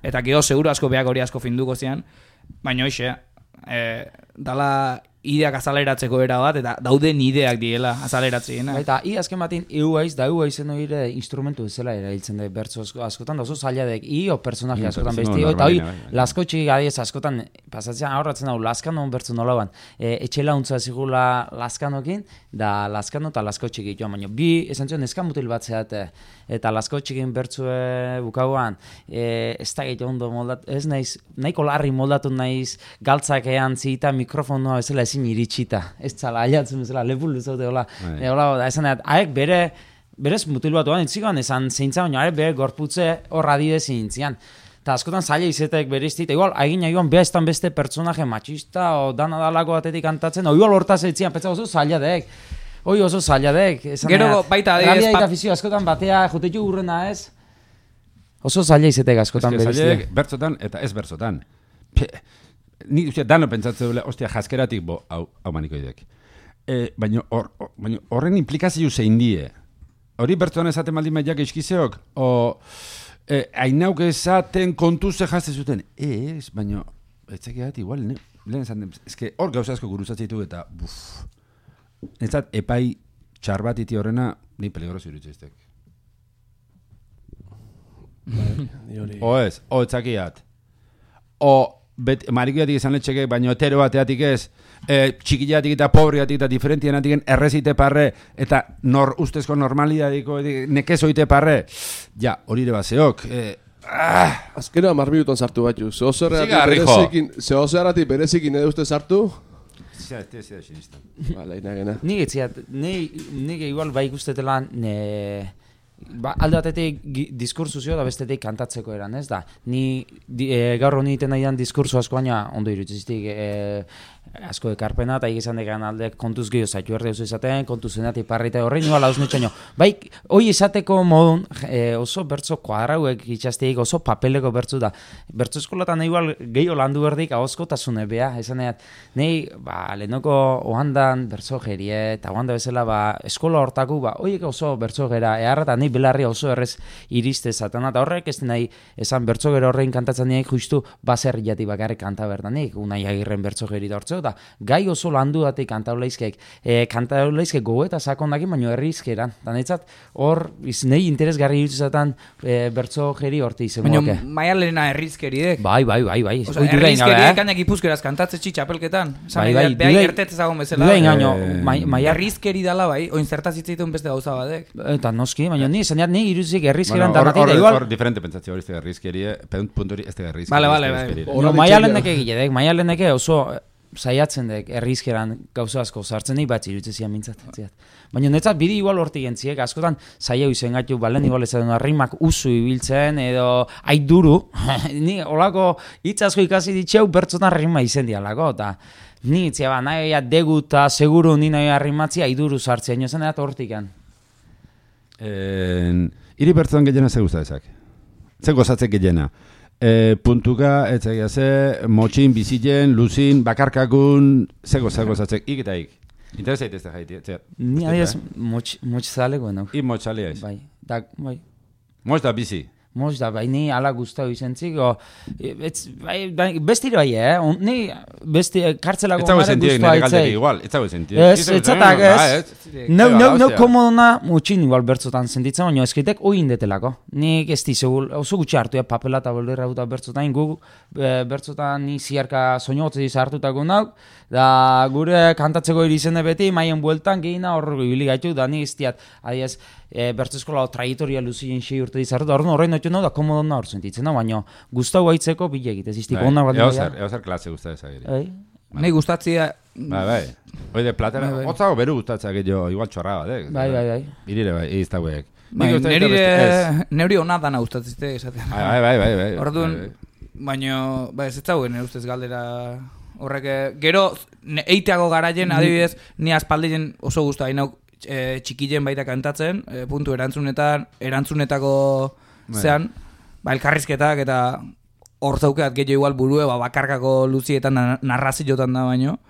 eta geho seguro asko behak hori asko finduko zian, baina hoxe, dala ideak azaleratzeko era bat, eta dauden ideak diela azaleratzeena. Eta azken batin, euaizen hori instrumentu ezela erailtzen da bertzo askotan, da oso zailadek, o personaje askotan besti, eta hori laskotxik adiez askotan, pasatzean aurratzen hau laskanon bertzo nolaban, etxela untza zigula laskanokin, da laskano eta laskotxik joan, baina bi esan zion eskan mutil bat zeate, eta laskotxikin bertzue bukauan, ez da gehiago ondo moldatu, ez naiz, nahiko larri moldatu naiz, galtzak ean zita mikrofonoa ezela ezin iritsita, ez zala, aiatzen bezala, lepul duzaute, hola, da esan dut, haek berez mutil bat duan, entzikoan esan zeintza, baina bere gorputze horra didezin intzian. Eta askotan zaila izetek beriztit, igual, agin joan behaztan beste pertsonaje machista, o dana dalako batetik kantatzen, o igual hortaz eitzian, petza oso zaila dek. Oso zaila dek. Gero baita adibidez... Rabia eta fizio askotan batea jotetu urrena ez. Oso zaila izetek askotan beriztit. Zaila bertzotan eta ez bertzotan. Ni dano pentsatzen dule, ostia, jaskeratik hau manikoidek. Baina horren implikazio zein die. Hori bertzotan esaten baldin maiak eskizeok, hainauk esaten kontuze jazte zuten. Baina, etxekeat igual, lehen esaten, eske hor gauza asko guruzatzeitu eta, netzat epai txar bat iti horrena, ni peligroso irutzeiztek. Etxakiat. Marikoiatik izan letxeke, baina hetero bateatik ez, txikiatik eta pobreatik eta diferentienatik errezite parre, eta ustezko normalidadiko nekezoite parre, ja, hori ere bazeok. Azkena 10 minuton sartu batzu, zehozearatik berezikin edo uste sartu? Ez da sinistan. Bala, inagena. Nik igual bai ikustetela alde batetik diskursuzio da bestetik kantatzeko eran, ez da. Ni gaur honi iten nahian diskurso asko baina ondo irutzizik asko ekarpena, eta egizan dekan alde kontuz gehiago zaitu erde oso izaten, kontuz zenatik parrita horrein, nuala hausnetxaino. Bai, hoi izateko modun oso bertzo kuadrauek itxasteik oso papeleko bertzu da. Bertzo eskolatan igual gehiago landu berdik ahozkotasune bea, esan edat. Nei, lehenoko ohandan bertzo gerie, eta ohanda bezala, eskola hortaku, hoiek oso bertzo gera, eharra nei belarria oso errez iriste zaten, eta horrek ez nahi esan bertzo gero horrein kantatzen nahi justu baserriati bakarrik kanta berdanik, Unai Agirren bertzo geri da hortzo, da gai oso landu datik kantaulaizkeek, kantaulaizkeek gogo eta sakondakin, baino herrizkeran, eta netzat hor nahi interesgarri irutzetan bertzo geri horti izemoake. Baina Maialena herrizkeridek. Bai. Osa, herrizkeriek kainak ipuzkeraz kantatze txapelketan. Bai. Behai ertetz ezagon bezala. Dudain gaino, herrizkeri dala bai, oin zertazitzeitun beste gauza badek. Eta noski, baina ni zaneat ni irutzik herrizkeran danatik da igual. Hor diferente pentsatzio hori ez da herrizkerie, punturi ez da herrizkerie. Vale. No, Maialeneke gilledek, Maialeneke oso saiatzen dek herrizkeran gauza asko sartzen nahi bat irutzezia mintzat. Baina netzat bide igual hortik entziek, askotan saia izen gaitu balen igual ez da rimak usu ibiltzen edo aiduru, ni olako hitz asko ikasi ditxeu bertzotan rima izen dialako, eta ni itzia nahi degu eta seguru ni nahi rimatzi aiduru sartzen, nio zen edat hortikan. Iri bertzotan gehiena ze guztadezak? Ze gozatzek gehiena? Puntuka, etzagia ze, motxin, biziten, luzin, bakarkakun, ze gozatzek, ik eta ik. Interesa ez da jaiti, ni adiaz motxzale goen hau. I motxalea ez? Bai. Motx da bizi? Motx da, bai, ni ala guztau izentzik, besti bai, ni besti kartzelako gomare guztua aitzei. Ez zago sentiek, etzatak ez. Neu komodona mutxin igual bertzotan sentitzen, baina eskritek oin detelako. Nik ez dizegul, oso gutxi hartu, papela eta bolderra duta bertzotan, bertzotan ni ziarka soñotzei hartutako nauk, da gure kantatzeko irizene beti, maien bueltan gehina hor ibili gaitu, da ni iztiat, adiez, bertzo eskola traietoria luzien 6 urte dizartu, da horrein hori da komodona hor sentitzen, baina guztau gaitzeko bilek, ez iztik onak bat dira. Eozer klase guztatza gire. Nei gustatzia... Bai. Oide platera, hotzago beru gustatzea gehiago, igual txorra bat, Bai. Irire bai, iztauek. Neuri hona dana gustatzite, esaten. Bai. Orduan, baina, ez zauen ustez galdera horrek, gero, eiteago garaien, adibidez, ni aspaldien oso gusta, hainau txikilen baita kantatzen, puntu erantzunetako zean, elkarrizketak eta hor zaukeat gehiago igual burue, bakarkako luzietan narraziotan da baino.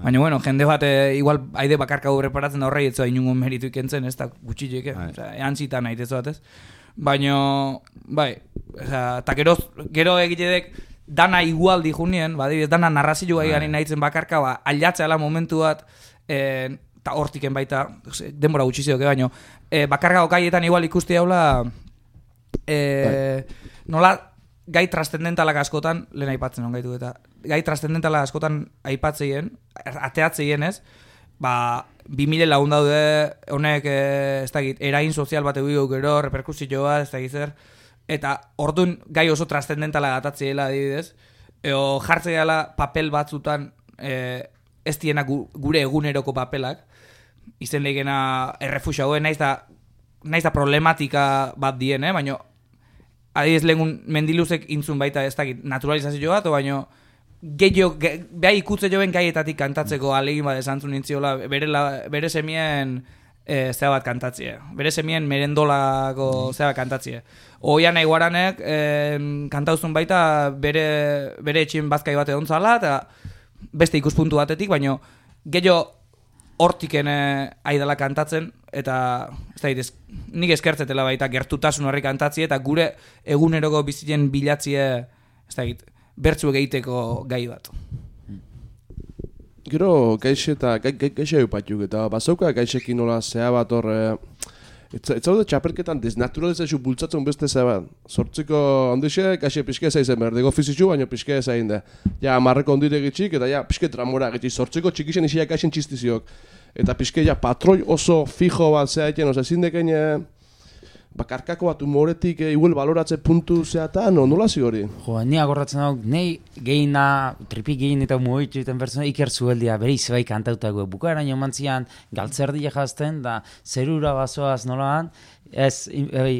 Baina, bueno, jende bat igual haide bakarkako preparatzen da horrei etzoa inungo meritu ikentzen, ez da gutxilek, ean zitan nahi tezo batez. Baina, bai, eta gero egitedek dana igual dijunien, dana narrazio gai gani nahitzen bakarka, aldatzea momentu bat, eta hortiken baita, denbora gutxizio, baina, bakarkako gaietan igual ikusti haula, nola gai trascendentalak askotan, lehen aipatzen on gaitu eta, gai trascendentalak askotan aipatzeien, ateatzeien ez, 2000 lagun daude, honek, ez dakit, erain sozial bat egin gero, reperkusio bat, ez dakit zer, eta orduan gai oso trascendentalak atatzeela adibidez, eo jartzeela papel batzutan, ez diena gure eguneroko papelak, izen legena errefuxagoen, naiz da problematika bat dien, baina adibidez lehengun mendiluzek intzun baita ez dakit naturalizazio bat, baina behar ikutze joen gaietatik kantatzeko alegin bat esantzun nintziola bere semien zea bat kantatzea. Bere semien merendolako zea bat kantatzea. Oian nahi guaranek kantauzun baita bere etxin bazkai bat egon zala eta beste ikuspuntu batetik, baina gehiago hortiken aidala kantatzen eta nik eskertzetela baita gertutasun horri kantatzie eta gure eguneroko bizien bilatzie bertzuek egiteko gai bat. Gero gaixe eta gaixe eupatiuk eta bazauka gaixekin nola zea bat hor ez zaude txapelketan desnaturalizazio bultzatzen beste zea bat. Sortziko handixe gaixe pixke zaizen behar, dego fizitxu baina pixke zain da. Ja, marreko ondire gitxik eta ja, pixke tramora gitxik. Sortziko txikixen isiak gaixen txistiziok. Eta pixke ja, patroi oso fijo bat zea eken, oza, zindeken bakarkako bat humoretik igual baloratze puntu zeatan, nola zi hori? Jo, ni agorratzen hau, nahi gehina, tripik gehien eta muoitzu egiten pertsona, iker zueldia, bere izabai kantautago. Bukaeran jo mantzian, galtzerdia jazten, da zerura bazoaz nolaan, Ez,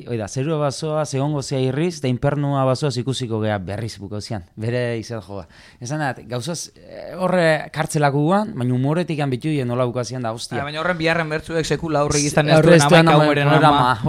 oida, zerua bazoa, segongo zea irriz, da infernua bazoaz ikusiko gea berriz bukozian, bere izan joa. Esan dat, gauzaz, horre kartzelako guan, baina humoretik bitu nola bukazian da, hostia. Baina horren biharren bertzuek sekula aurrik izan ez duen amaika umeren ama.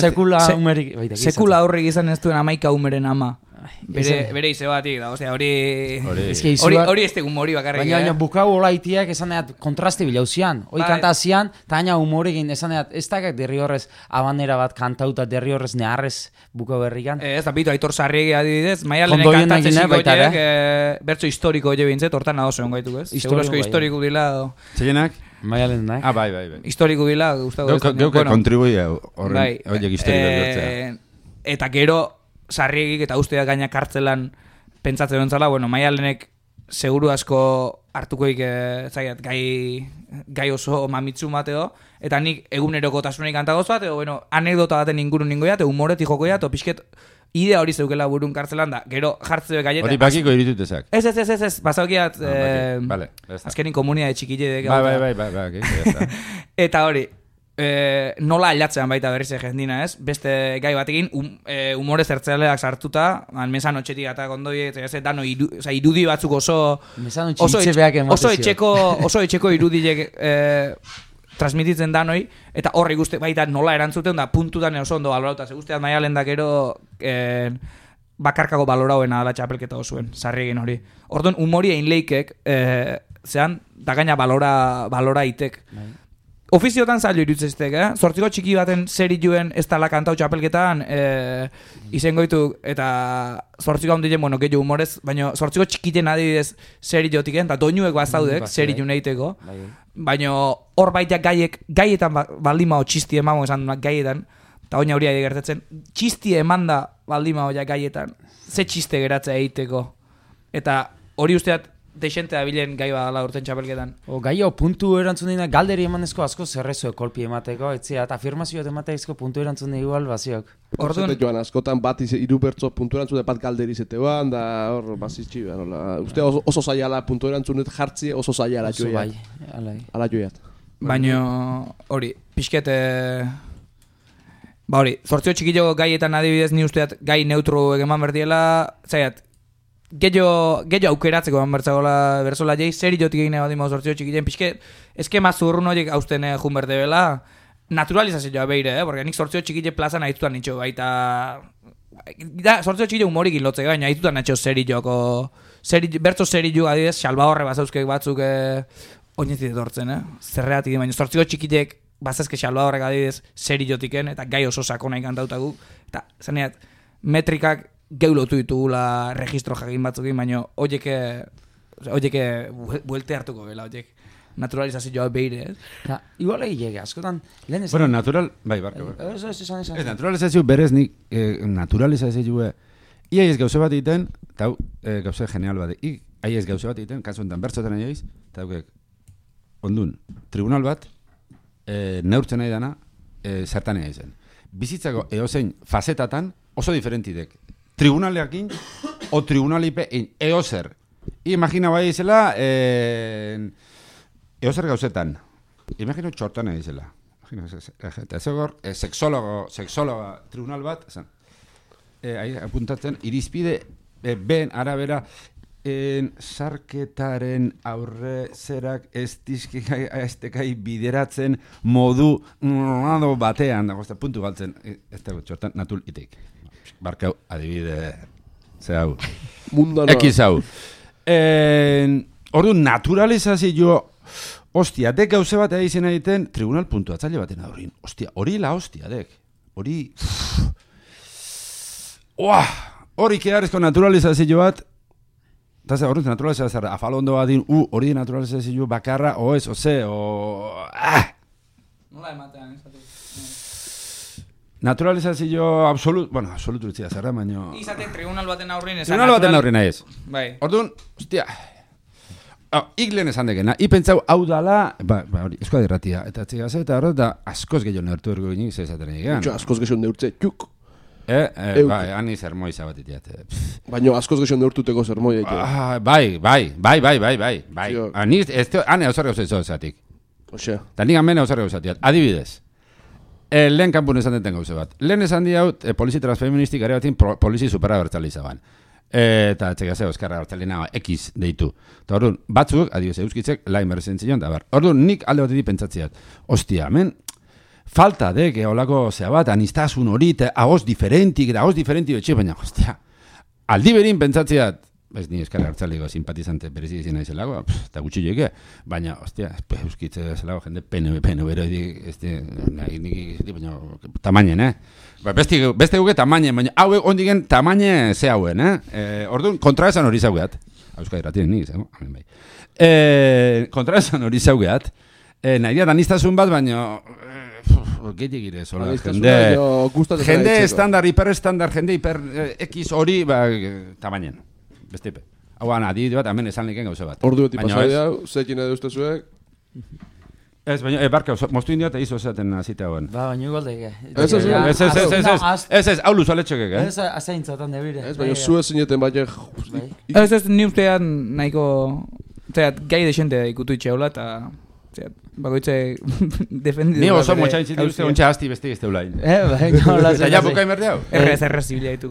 Sekula umerik. Sekula aurrik izan ez duen amaika umeren ama. Bere ize batik da, osea, hori ez tegun mori bakarrik. Baina bukau olaitiak esan edat kontraste bilauzian. Hoi kantazian, eta aina humorekin esan edat, ez dakak derri horrez abanera bat kantauta derri horrez neharrez bukau berrikan. Ez da, bitu, Aitor Sarriegi adibidez, Maialenen kantatzen zikoiek, bertso historiko jo bintzet, hortan nago zegoen gaituk ez? Segurazko historiko dila. Zeilenak? Maialen nahi. Ah, bai. Historiko dila, guztago ez. Geuke kontribuia horiek historiko bertzea. Eta gero, Sarriegik eta usteak gaina kartzelan pentsatzen duen zala, Maialenek seguru asko hartukoik gai oso mamitzu bateo, eta nik egunerokotasunik kantagoz bat, anekdota baten ingurun ningoia, eta humoretik jokoia, eta pixket idea hori zeukela burun kartzelan da, gero jartzeo gaietan. Hori bakiko iritutezak. Ez, bazaukiat, azkenin komunia de txikile. Bai, eta hori, nola aldatzean baita berriz jendina, ez? Beste gai batekin, humore zertzeleak sartuta, mesano txetik eta kondoi, dano irudi batzuk oso etxeko irudiek transmititzen danoi, eta horri guzti baita nola erantzuten da puntutan oso ondo balorauta. Guztiat Maialen da gero bakarkako balorauena ala txapelketa osuen, Sarriegin hori. Orduan, humori egin leikek, zean, da gaina balora itek. Ofiziotan zailo irutzeztek, Zortziko txiki baten serijuen ez tala kantau txapelketan izengoitu eta zortziko handien, gehiago humorez, baina zortziko txikiten adibidez serijiotik, eta doinuek bazaudek seriju nahiteko, baina hor baita gaietan baldimao txisti emamo esan gaietan, eta oina hori ari gertatzen, txisti emanda baldimao gaietan, ze txiste geratzea egiteko, eta hori usteat deixente da bilen gai badala urten txapelketan. Gai puntu erantzun dina, galderi emanezko asko zerrezo kolpi emateko, etzia, eta afirmazioat emateizko puntu erantzun dina igual baziok. Orduan, joan, askotan bat iru bertzo puntu erantzun bat galderi zeteoan, da hor bazitxi, uste oso zaiala puntu erantzunet jartzi oso zaiala joiat. Ala joiat. Baina hori, pixket, hori, zortzio txikillo gaietan adibidez ni usteat gai neutro egeman berdiela, zaiat, Gehiago aukeratzeko bertzagola berzola jai, zer jotik egine bat zortzio txikilen, pixke, eskema zurrun horiek hausten jun berde bela, naturalizazioa beire, porque nik zortzio txikile plazan ahitutan nitxo, baita, zortzio txikile humorik inlotzek, baina ahitutan nitxo bertzo zerillo adidez, salba horre bazauzkek batzuk oinetzit etortzen, zerreatik, baina zortzio txikilek bazazke salba horrek adidez zerillotiken, eta gai oso sakona ikantautagu, eta zaneat, metrikak geulotu ditugula registro jakin batzukin, baina oieke buelte hartuko gela, oiek naturalizazioa beire, Igual egin askotan, lehen ez... Bueno, natural... Bai, barka. Naturalizazio berez nik naturalizazioa... Ia ez gauze bat egiten, eta gauze genial bat. Ia ez gauze bat egiten, kasu enten bertzotan egin, eta ondun, tribunal bat, neurtzen nahi dana, zertan egin zen. Bizitzako eozein fazetatan oso diferentidek. Tribunaleakin o tribunalipe eozer. Imagina bai izela eozer gauzetan. Imagina txortan izela. Eta zegor, sexóloga tribunal bat, apuntatzen, irizpide ben arabera sarketaren aurre zerak ez dizkai bideratzen modu batean, puntu galtzen, ez dago txortan, natul itek. Barkau, adibide, ze hau. Ekiz hau. Ordu, naturalizazio, ostia, dek gauze bat egin egiten, tribunal puntuatzaile baten hori. Ostia, hori la ostia, dek. Hori... Hori kearezko naturalizazio bat, eta ze, hori naturalizazio bat, afalondo bat din, hori naturalizazio bakarra, o ez, o ze, o... Nola ematean, ez? Naturalizazio absolutu ditzia zerra, baina... Izatek tribunal baten aurrin ez. Tribunal baten aurrin ez. Bai. Orduan, ostia... Iglen esan dekena, ipentzau hau dala... hori, eskoa dirratia. Eta txigaz eta horret da askoz gehiago neurtu ergo ginik zezaten egean. Askoz gehiago neurtze, txuk. Hani zermoi zabatitiat. Baina askoz gehiago neurtuteko zermoi egitea. Bai. Hane hausar gauzat izo ezatik. Osea. Eta nik amene hausar gauzatiat. Adibidez. lehen kanpun esan deten gauze bat. Lehen esan di hau, polizi transfeministik gare batin polizi superabertzali izaban. Eta etxegazeo, eskarra hartzalina X deitu. Eta orduan, batzuk, adibidez euskitzek, lain berrezen da bar. Orduan, nik alde batetik pentsatziat. Ostia, hemen, falta de, que holako zea bat, anistazun hori, ahoz diferentik, betxe, baina, ostia, aldi berin pentsatziat, ez ni eskarra hartzaliko simpatizante berezi izin naizelako, eta gutxi joike, baina, ostia, euskitze zelako jende PNB bero nik, baina, tamainen, Beste guke tamainen, baina hauek ondigen tamaine ze hauen, Orduan, kontraesan hori zaugeat, Euskadi ratien nik, amen bai. Kontraesan hori zaugeat, nahi diat anistazun bat, baina, gehiagik ire, zola, jende estandar, hiperestandar, jende hiper X hori, tamainen. Bestepe. Hau gana, adibide bat, hemen esan liken gauze bat. Ordu beti pasaidea, zekin edo ustezuek? Ez, baina, barka, moztu india eta izo esaten azite hauen. Ba, baina igual deke. Ez, hau luzaletxokek, Ez, azaintzatan debire. Ez, baina zu ezineten baina... Ez, ni ustean nahiko... Zerat, gai desente ikutu itxeula eta... Zerat, bakoitze defendidu... Ni oso motxain zitu uste ontsa hasti beste izte ulain. Baina, hola zen. Eta ja bukai merde hau? Errez zibila ditu.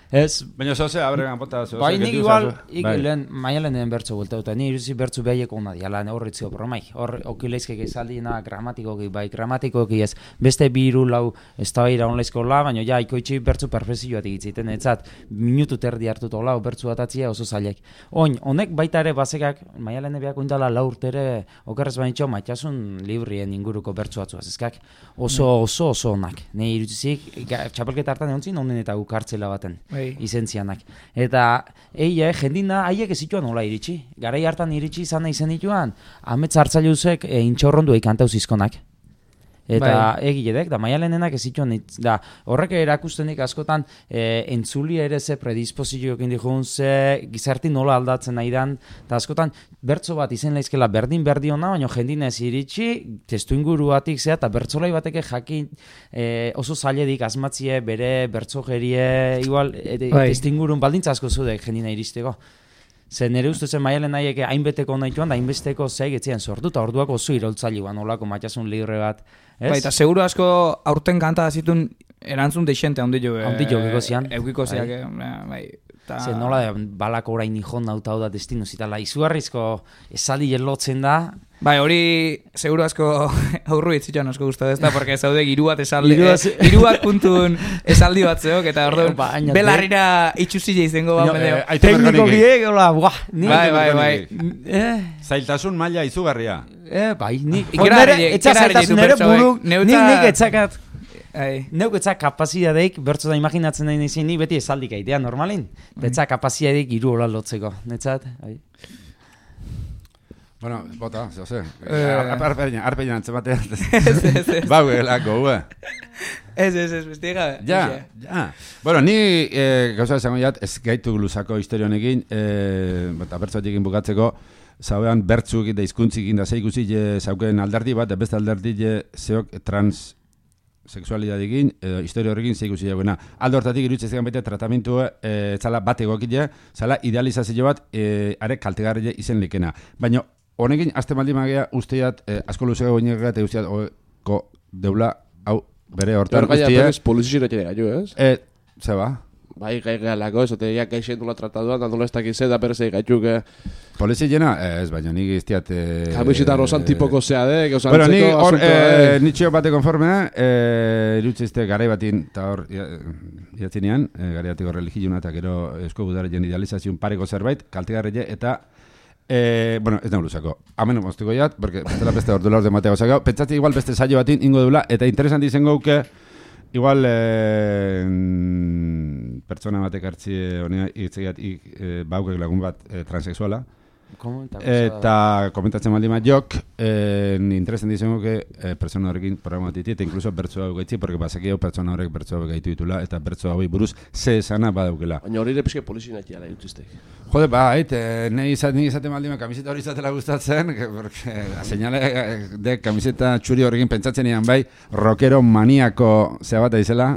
Ez. Baina zozea, abregan pota zozea. Bai, nik igual, lehen, maialen den bertzo bultauta. Ni iruzi bertzu behieko ona diala, horretziko bromai. Hor, okileizkek ezaldina gramatikoki, bai, gramatikoki ez. Beste biru lau ez da behira onlaizko la, baina ja, ikoitzi bertzu perfezioat egitziten. Etzat, minutu terdi hartuto lau bertzu atatzia oso zailek. Honek baita ere bazekak, maialen behiako indala lau urtere okerrez bainitxo, maitasun librien inguruko bertzu atzuaz. Ezkak, oso onak. Ne iruzizik, txapelketa hartan egon zin, honen eta gukartzela baten. Izentzianak. Eta jendina haiek ezituan nola iritsi. Garai hartan iritsi izan nahi zen dituan, amets hartzaileuzek intxorrondu eikantau zizkonak. Eta egiledek, da maialenenak ezituan, da horrek erakustenik askotan entzuli ere ze predispozioekin dihun, ze gizarti nola aldatzen nahi dan, eta askotan bertso bat izen laizkela berdin-berdiona, baina jendina ez iritsi, testu inguruatik zea, eta bertzolai bateke jakin oso zailedik asmatzie, bere bertsogerie, igual, testu ingurun baldintza asko zudek jendina iristeko. Zer nire ustezen maialen nahiek hainbeteko nahituan, da hainbesteko zei getzean sortu, eta orduak oso iroltzailuan olako matxasun libre bat. Bai, eta seguro asko aurten kanta zituen erantzun deixente handi jo. Handi jo, gekozian. Eukikoziak, bai. Zer nola balako orain nihon nauta da destino zitala. Izugarrizko esaldi lotzen da. Bai, hori seguro asko aurru itzitxan asko guztu ez da, porque zaude giru bat esaldi, giruak puntun esaldi bat zeok, eta orduan belarrira itxuzile izango bat medeo. Tekniko biek, hola, buah. Bai. Zailtasun maila izugarria. Bai, etxazailtasun ere buruk, nik etxakat. Neuk etzak kapazidadeik, bertzo da imaginatzen nahi nizien, ni beti esaldik aitea normalin. Etzak kapazidadeik iru hola lotzeko, netzat? Bueno, bota, zehose. Arpeina antzematea. Bau, elako, Ez, besti gabe. Ja. Bueno, ni gauza esango jat, ez gaitu luzako historionekin, eta bertzoetekin bukatzeko, zauean bertzuk eta hizkuntzikin da zeikusi zauken alderdi bat, beste alderdi zeok transexualidadekin, historio horrekin zeikusi jaugena. Aldo hortatik irutzezean baita tratamentu zala bat egokile, zala idealizazio bat are kaltegarri izen likena. Baina honekin, azte maldi magea usteat asko luzeko goinegat eta usteat deula, hau, bere hortan guztia. Gaia berriz polizizirete gaitu, ez? Zeba? Bai, gaialako, ez ote, gaixen dula trataduan, da nola ez dakize, da berrez gaituk. Polizizena? Ez, baina nik iztiat... Kamisita rosan tipoko zea, bueno, nik hor, nitxio bate konformea, irutzizte garai batin, eta hor, iatzinean, garai batiko religiouna, eta gero esko gudarien idealizazion pareko zerbait, kaltegarrile, eta bueno, ez nahi luzako. Hemen moztiko jat, porque bestela beste ordu laur de matea gozakau. Pentsatzi igual beste saio batin ingo dula, eta interesanti izango uke, igual pertsona batek hartzi honea itzegiat baukek lagun bat transexuala. Eta komentatzen maldi bat jok, interesanti izango uke pertsona horrekin programa titi, eta inkluso bertso hau gaitzi, porque basaki hau pertsona horrek bertso hau gaitu ditula, eta bertso hau buruz ze esana badaukela. Baina hori ere pixke polizina etiala jutuztek. Jode, nahi izaten maldi kamiseta hori izatela gustatzen, porque señale de kamiseta txuri horrekin pentsatzen ean bai, rockero maniako zea bat aizela,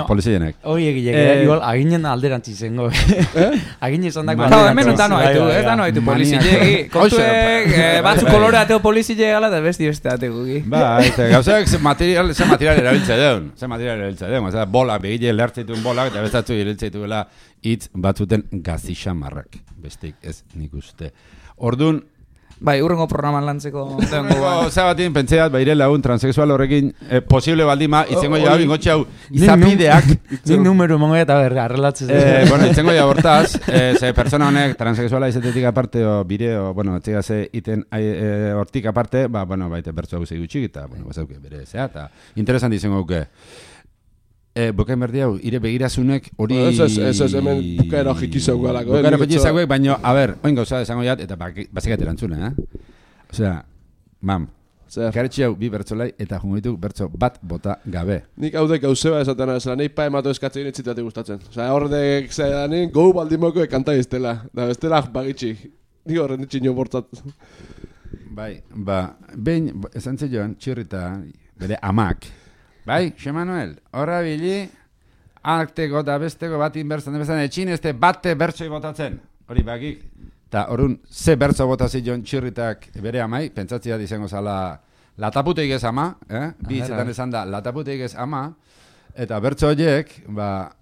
polizienek. Hori egilek, igual aginen alderantzi zengo. Agin izan dako alderantzi. Hemen dano haitu, polizilegi. Kontuek, batzu kolore ateo polizile gala, eta beste ateuki. Ba, eta gauzak ze material erabiltza deun. Osea, bolak, begile lertzituen bolak, eta bestatzu iriltzaituela hitz batzuten gazixamarrak. Bestik ez nik uste. Ordun, Bai, urrengo programan lantzeko Osa batin, pentseat, baire lagun transexual horrekin posible baldima, itzengo ja ingotxe hau izapideak. Nik numero mongoia eta berga, arrelatzez. Bueno, itzengo ja hortaz, ze persona honek transexuala izatetik aparte, o bire, o, bueno, etxega ze iten hortik aparte, ba, bueno, baite bertzu hau gutxik, eta, bueno, bazauke bere zea, eta interesanti izango guke. Bukain berdi hau, ire begirazunek hori... Ez, hemen bukaero jikizau galako. Bukaero jikizauek, baina, a ber, oin gauza esango jat, eta bazikat erantzuna, Osea, mam, garetxe hau bi bertzolai, eta jungoituk bertzo bat bota gabe. Nik haudek gauzeba esaten zela, nahi pa emato eskatzen etzitate gustatzen. Osea, horrek zaidanin, gau baldimoko kanta iztela, da bestela bagitxi. Nik horren ditxinio bortzat. Bai, ba, behin, esan joan, txirrita, bere amak, bai, Xe Manuel, horra bili, arteko eta besteko bat inbertzen, etxin ezte bate bertzoi botatzen, hori bakik. Eta horren, ze bertzo botazit joan txirritak bere amai, pentsatzea izango zala lataputeik ez ama, bi hitzetan esan da, lataputeik ez ama, eta bertzo horiek, ba,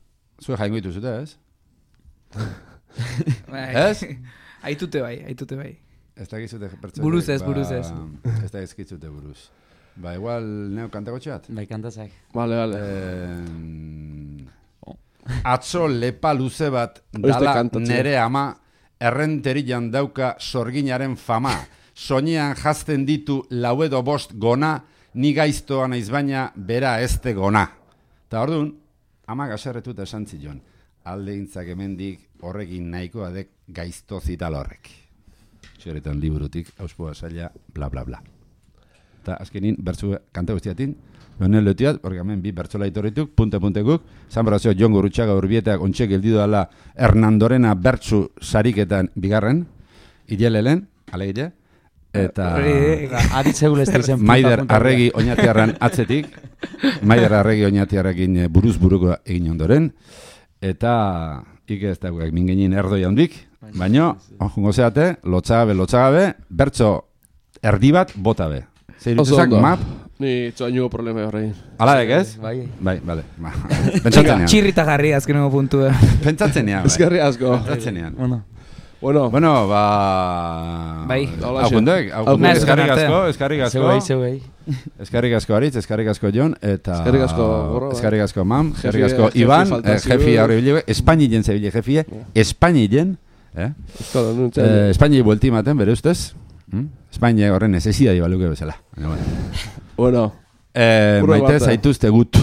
zue jaingo dituzute, ez? Ez? Aitute bai. Ez da gizute bertzo buruz ez. Ez da gizute buruz. Ba, igual, neu kantako txat? Bai, kantazak. Vale. Atzo lepa luze bat dala nere ama, errenterian dauka sorginaren fama. Soinean jazten ditu lau edo bost gona, ni gaiztoa naiz baina bera ezte gona. Eta orduan, ama gaserretuta esan zion, alde gintzak hemendik horrekin nahikoa dek gaizto zital horrek. Txeretan liburutik, auspoa zaila, bla bla bla. Eta azkenin, bertzu kanta guztiatin, Benel letiat, porque hemen bi bertzola itorrituk, punte-puntekuk, San Brazio Jon Gurrutxaga urbietak ontxek geldidu dela Hernandorena bertzu sariketan bigarren, hilelelen, alegile, eta Aritzeul ez dizen Maider Arregi oinatiarran atzetik, Maider Arregi oinatiarrekin buruz-buruko egin ondoren, eta ike ez dagoek mingenin erdoi handik, baino, jongo zeate, lotzagabe, bertzo erdi bat botabe. Zeirutuzak map? Ni txoaingo problema horrein. Alaek ez? Bai. Bale. Pentsatzen ean. Txirrita jarri azkenengo puntu. Pentsatzen ean. Ezkerri asko. Pentsatzen ean. Bueno, ba... Bai. Aukundek, eskarrik asko. Zeuei. Eskarrik asko Aritz, eskarrik asko Jon, eta... Eskarrik asko Gorro. Eskarrik asko Mam, eskarrik asko Iban, jefi aurre bilego, Espainien zebile jefie, Espainien, Espainien buelti maten, bere ustez, Espainia horren necesidadi baluke bezala. Bueno. Maite zaituzte gut.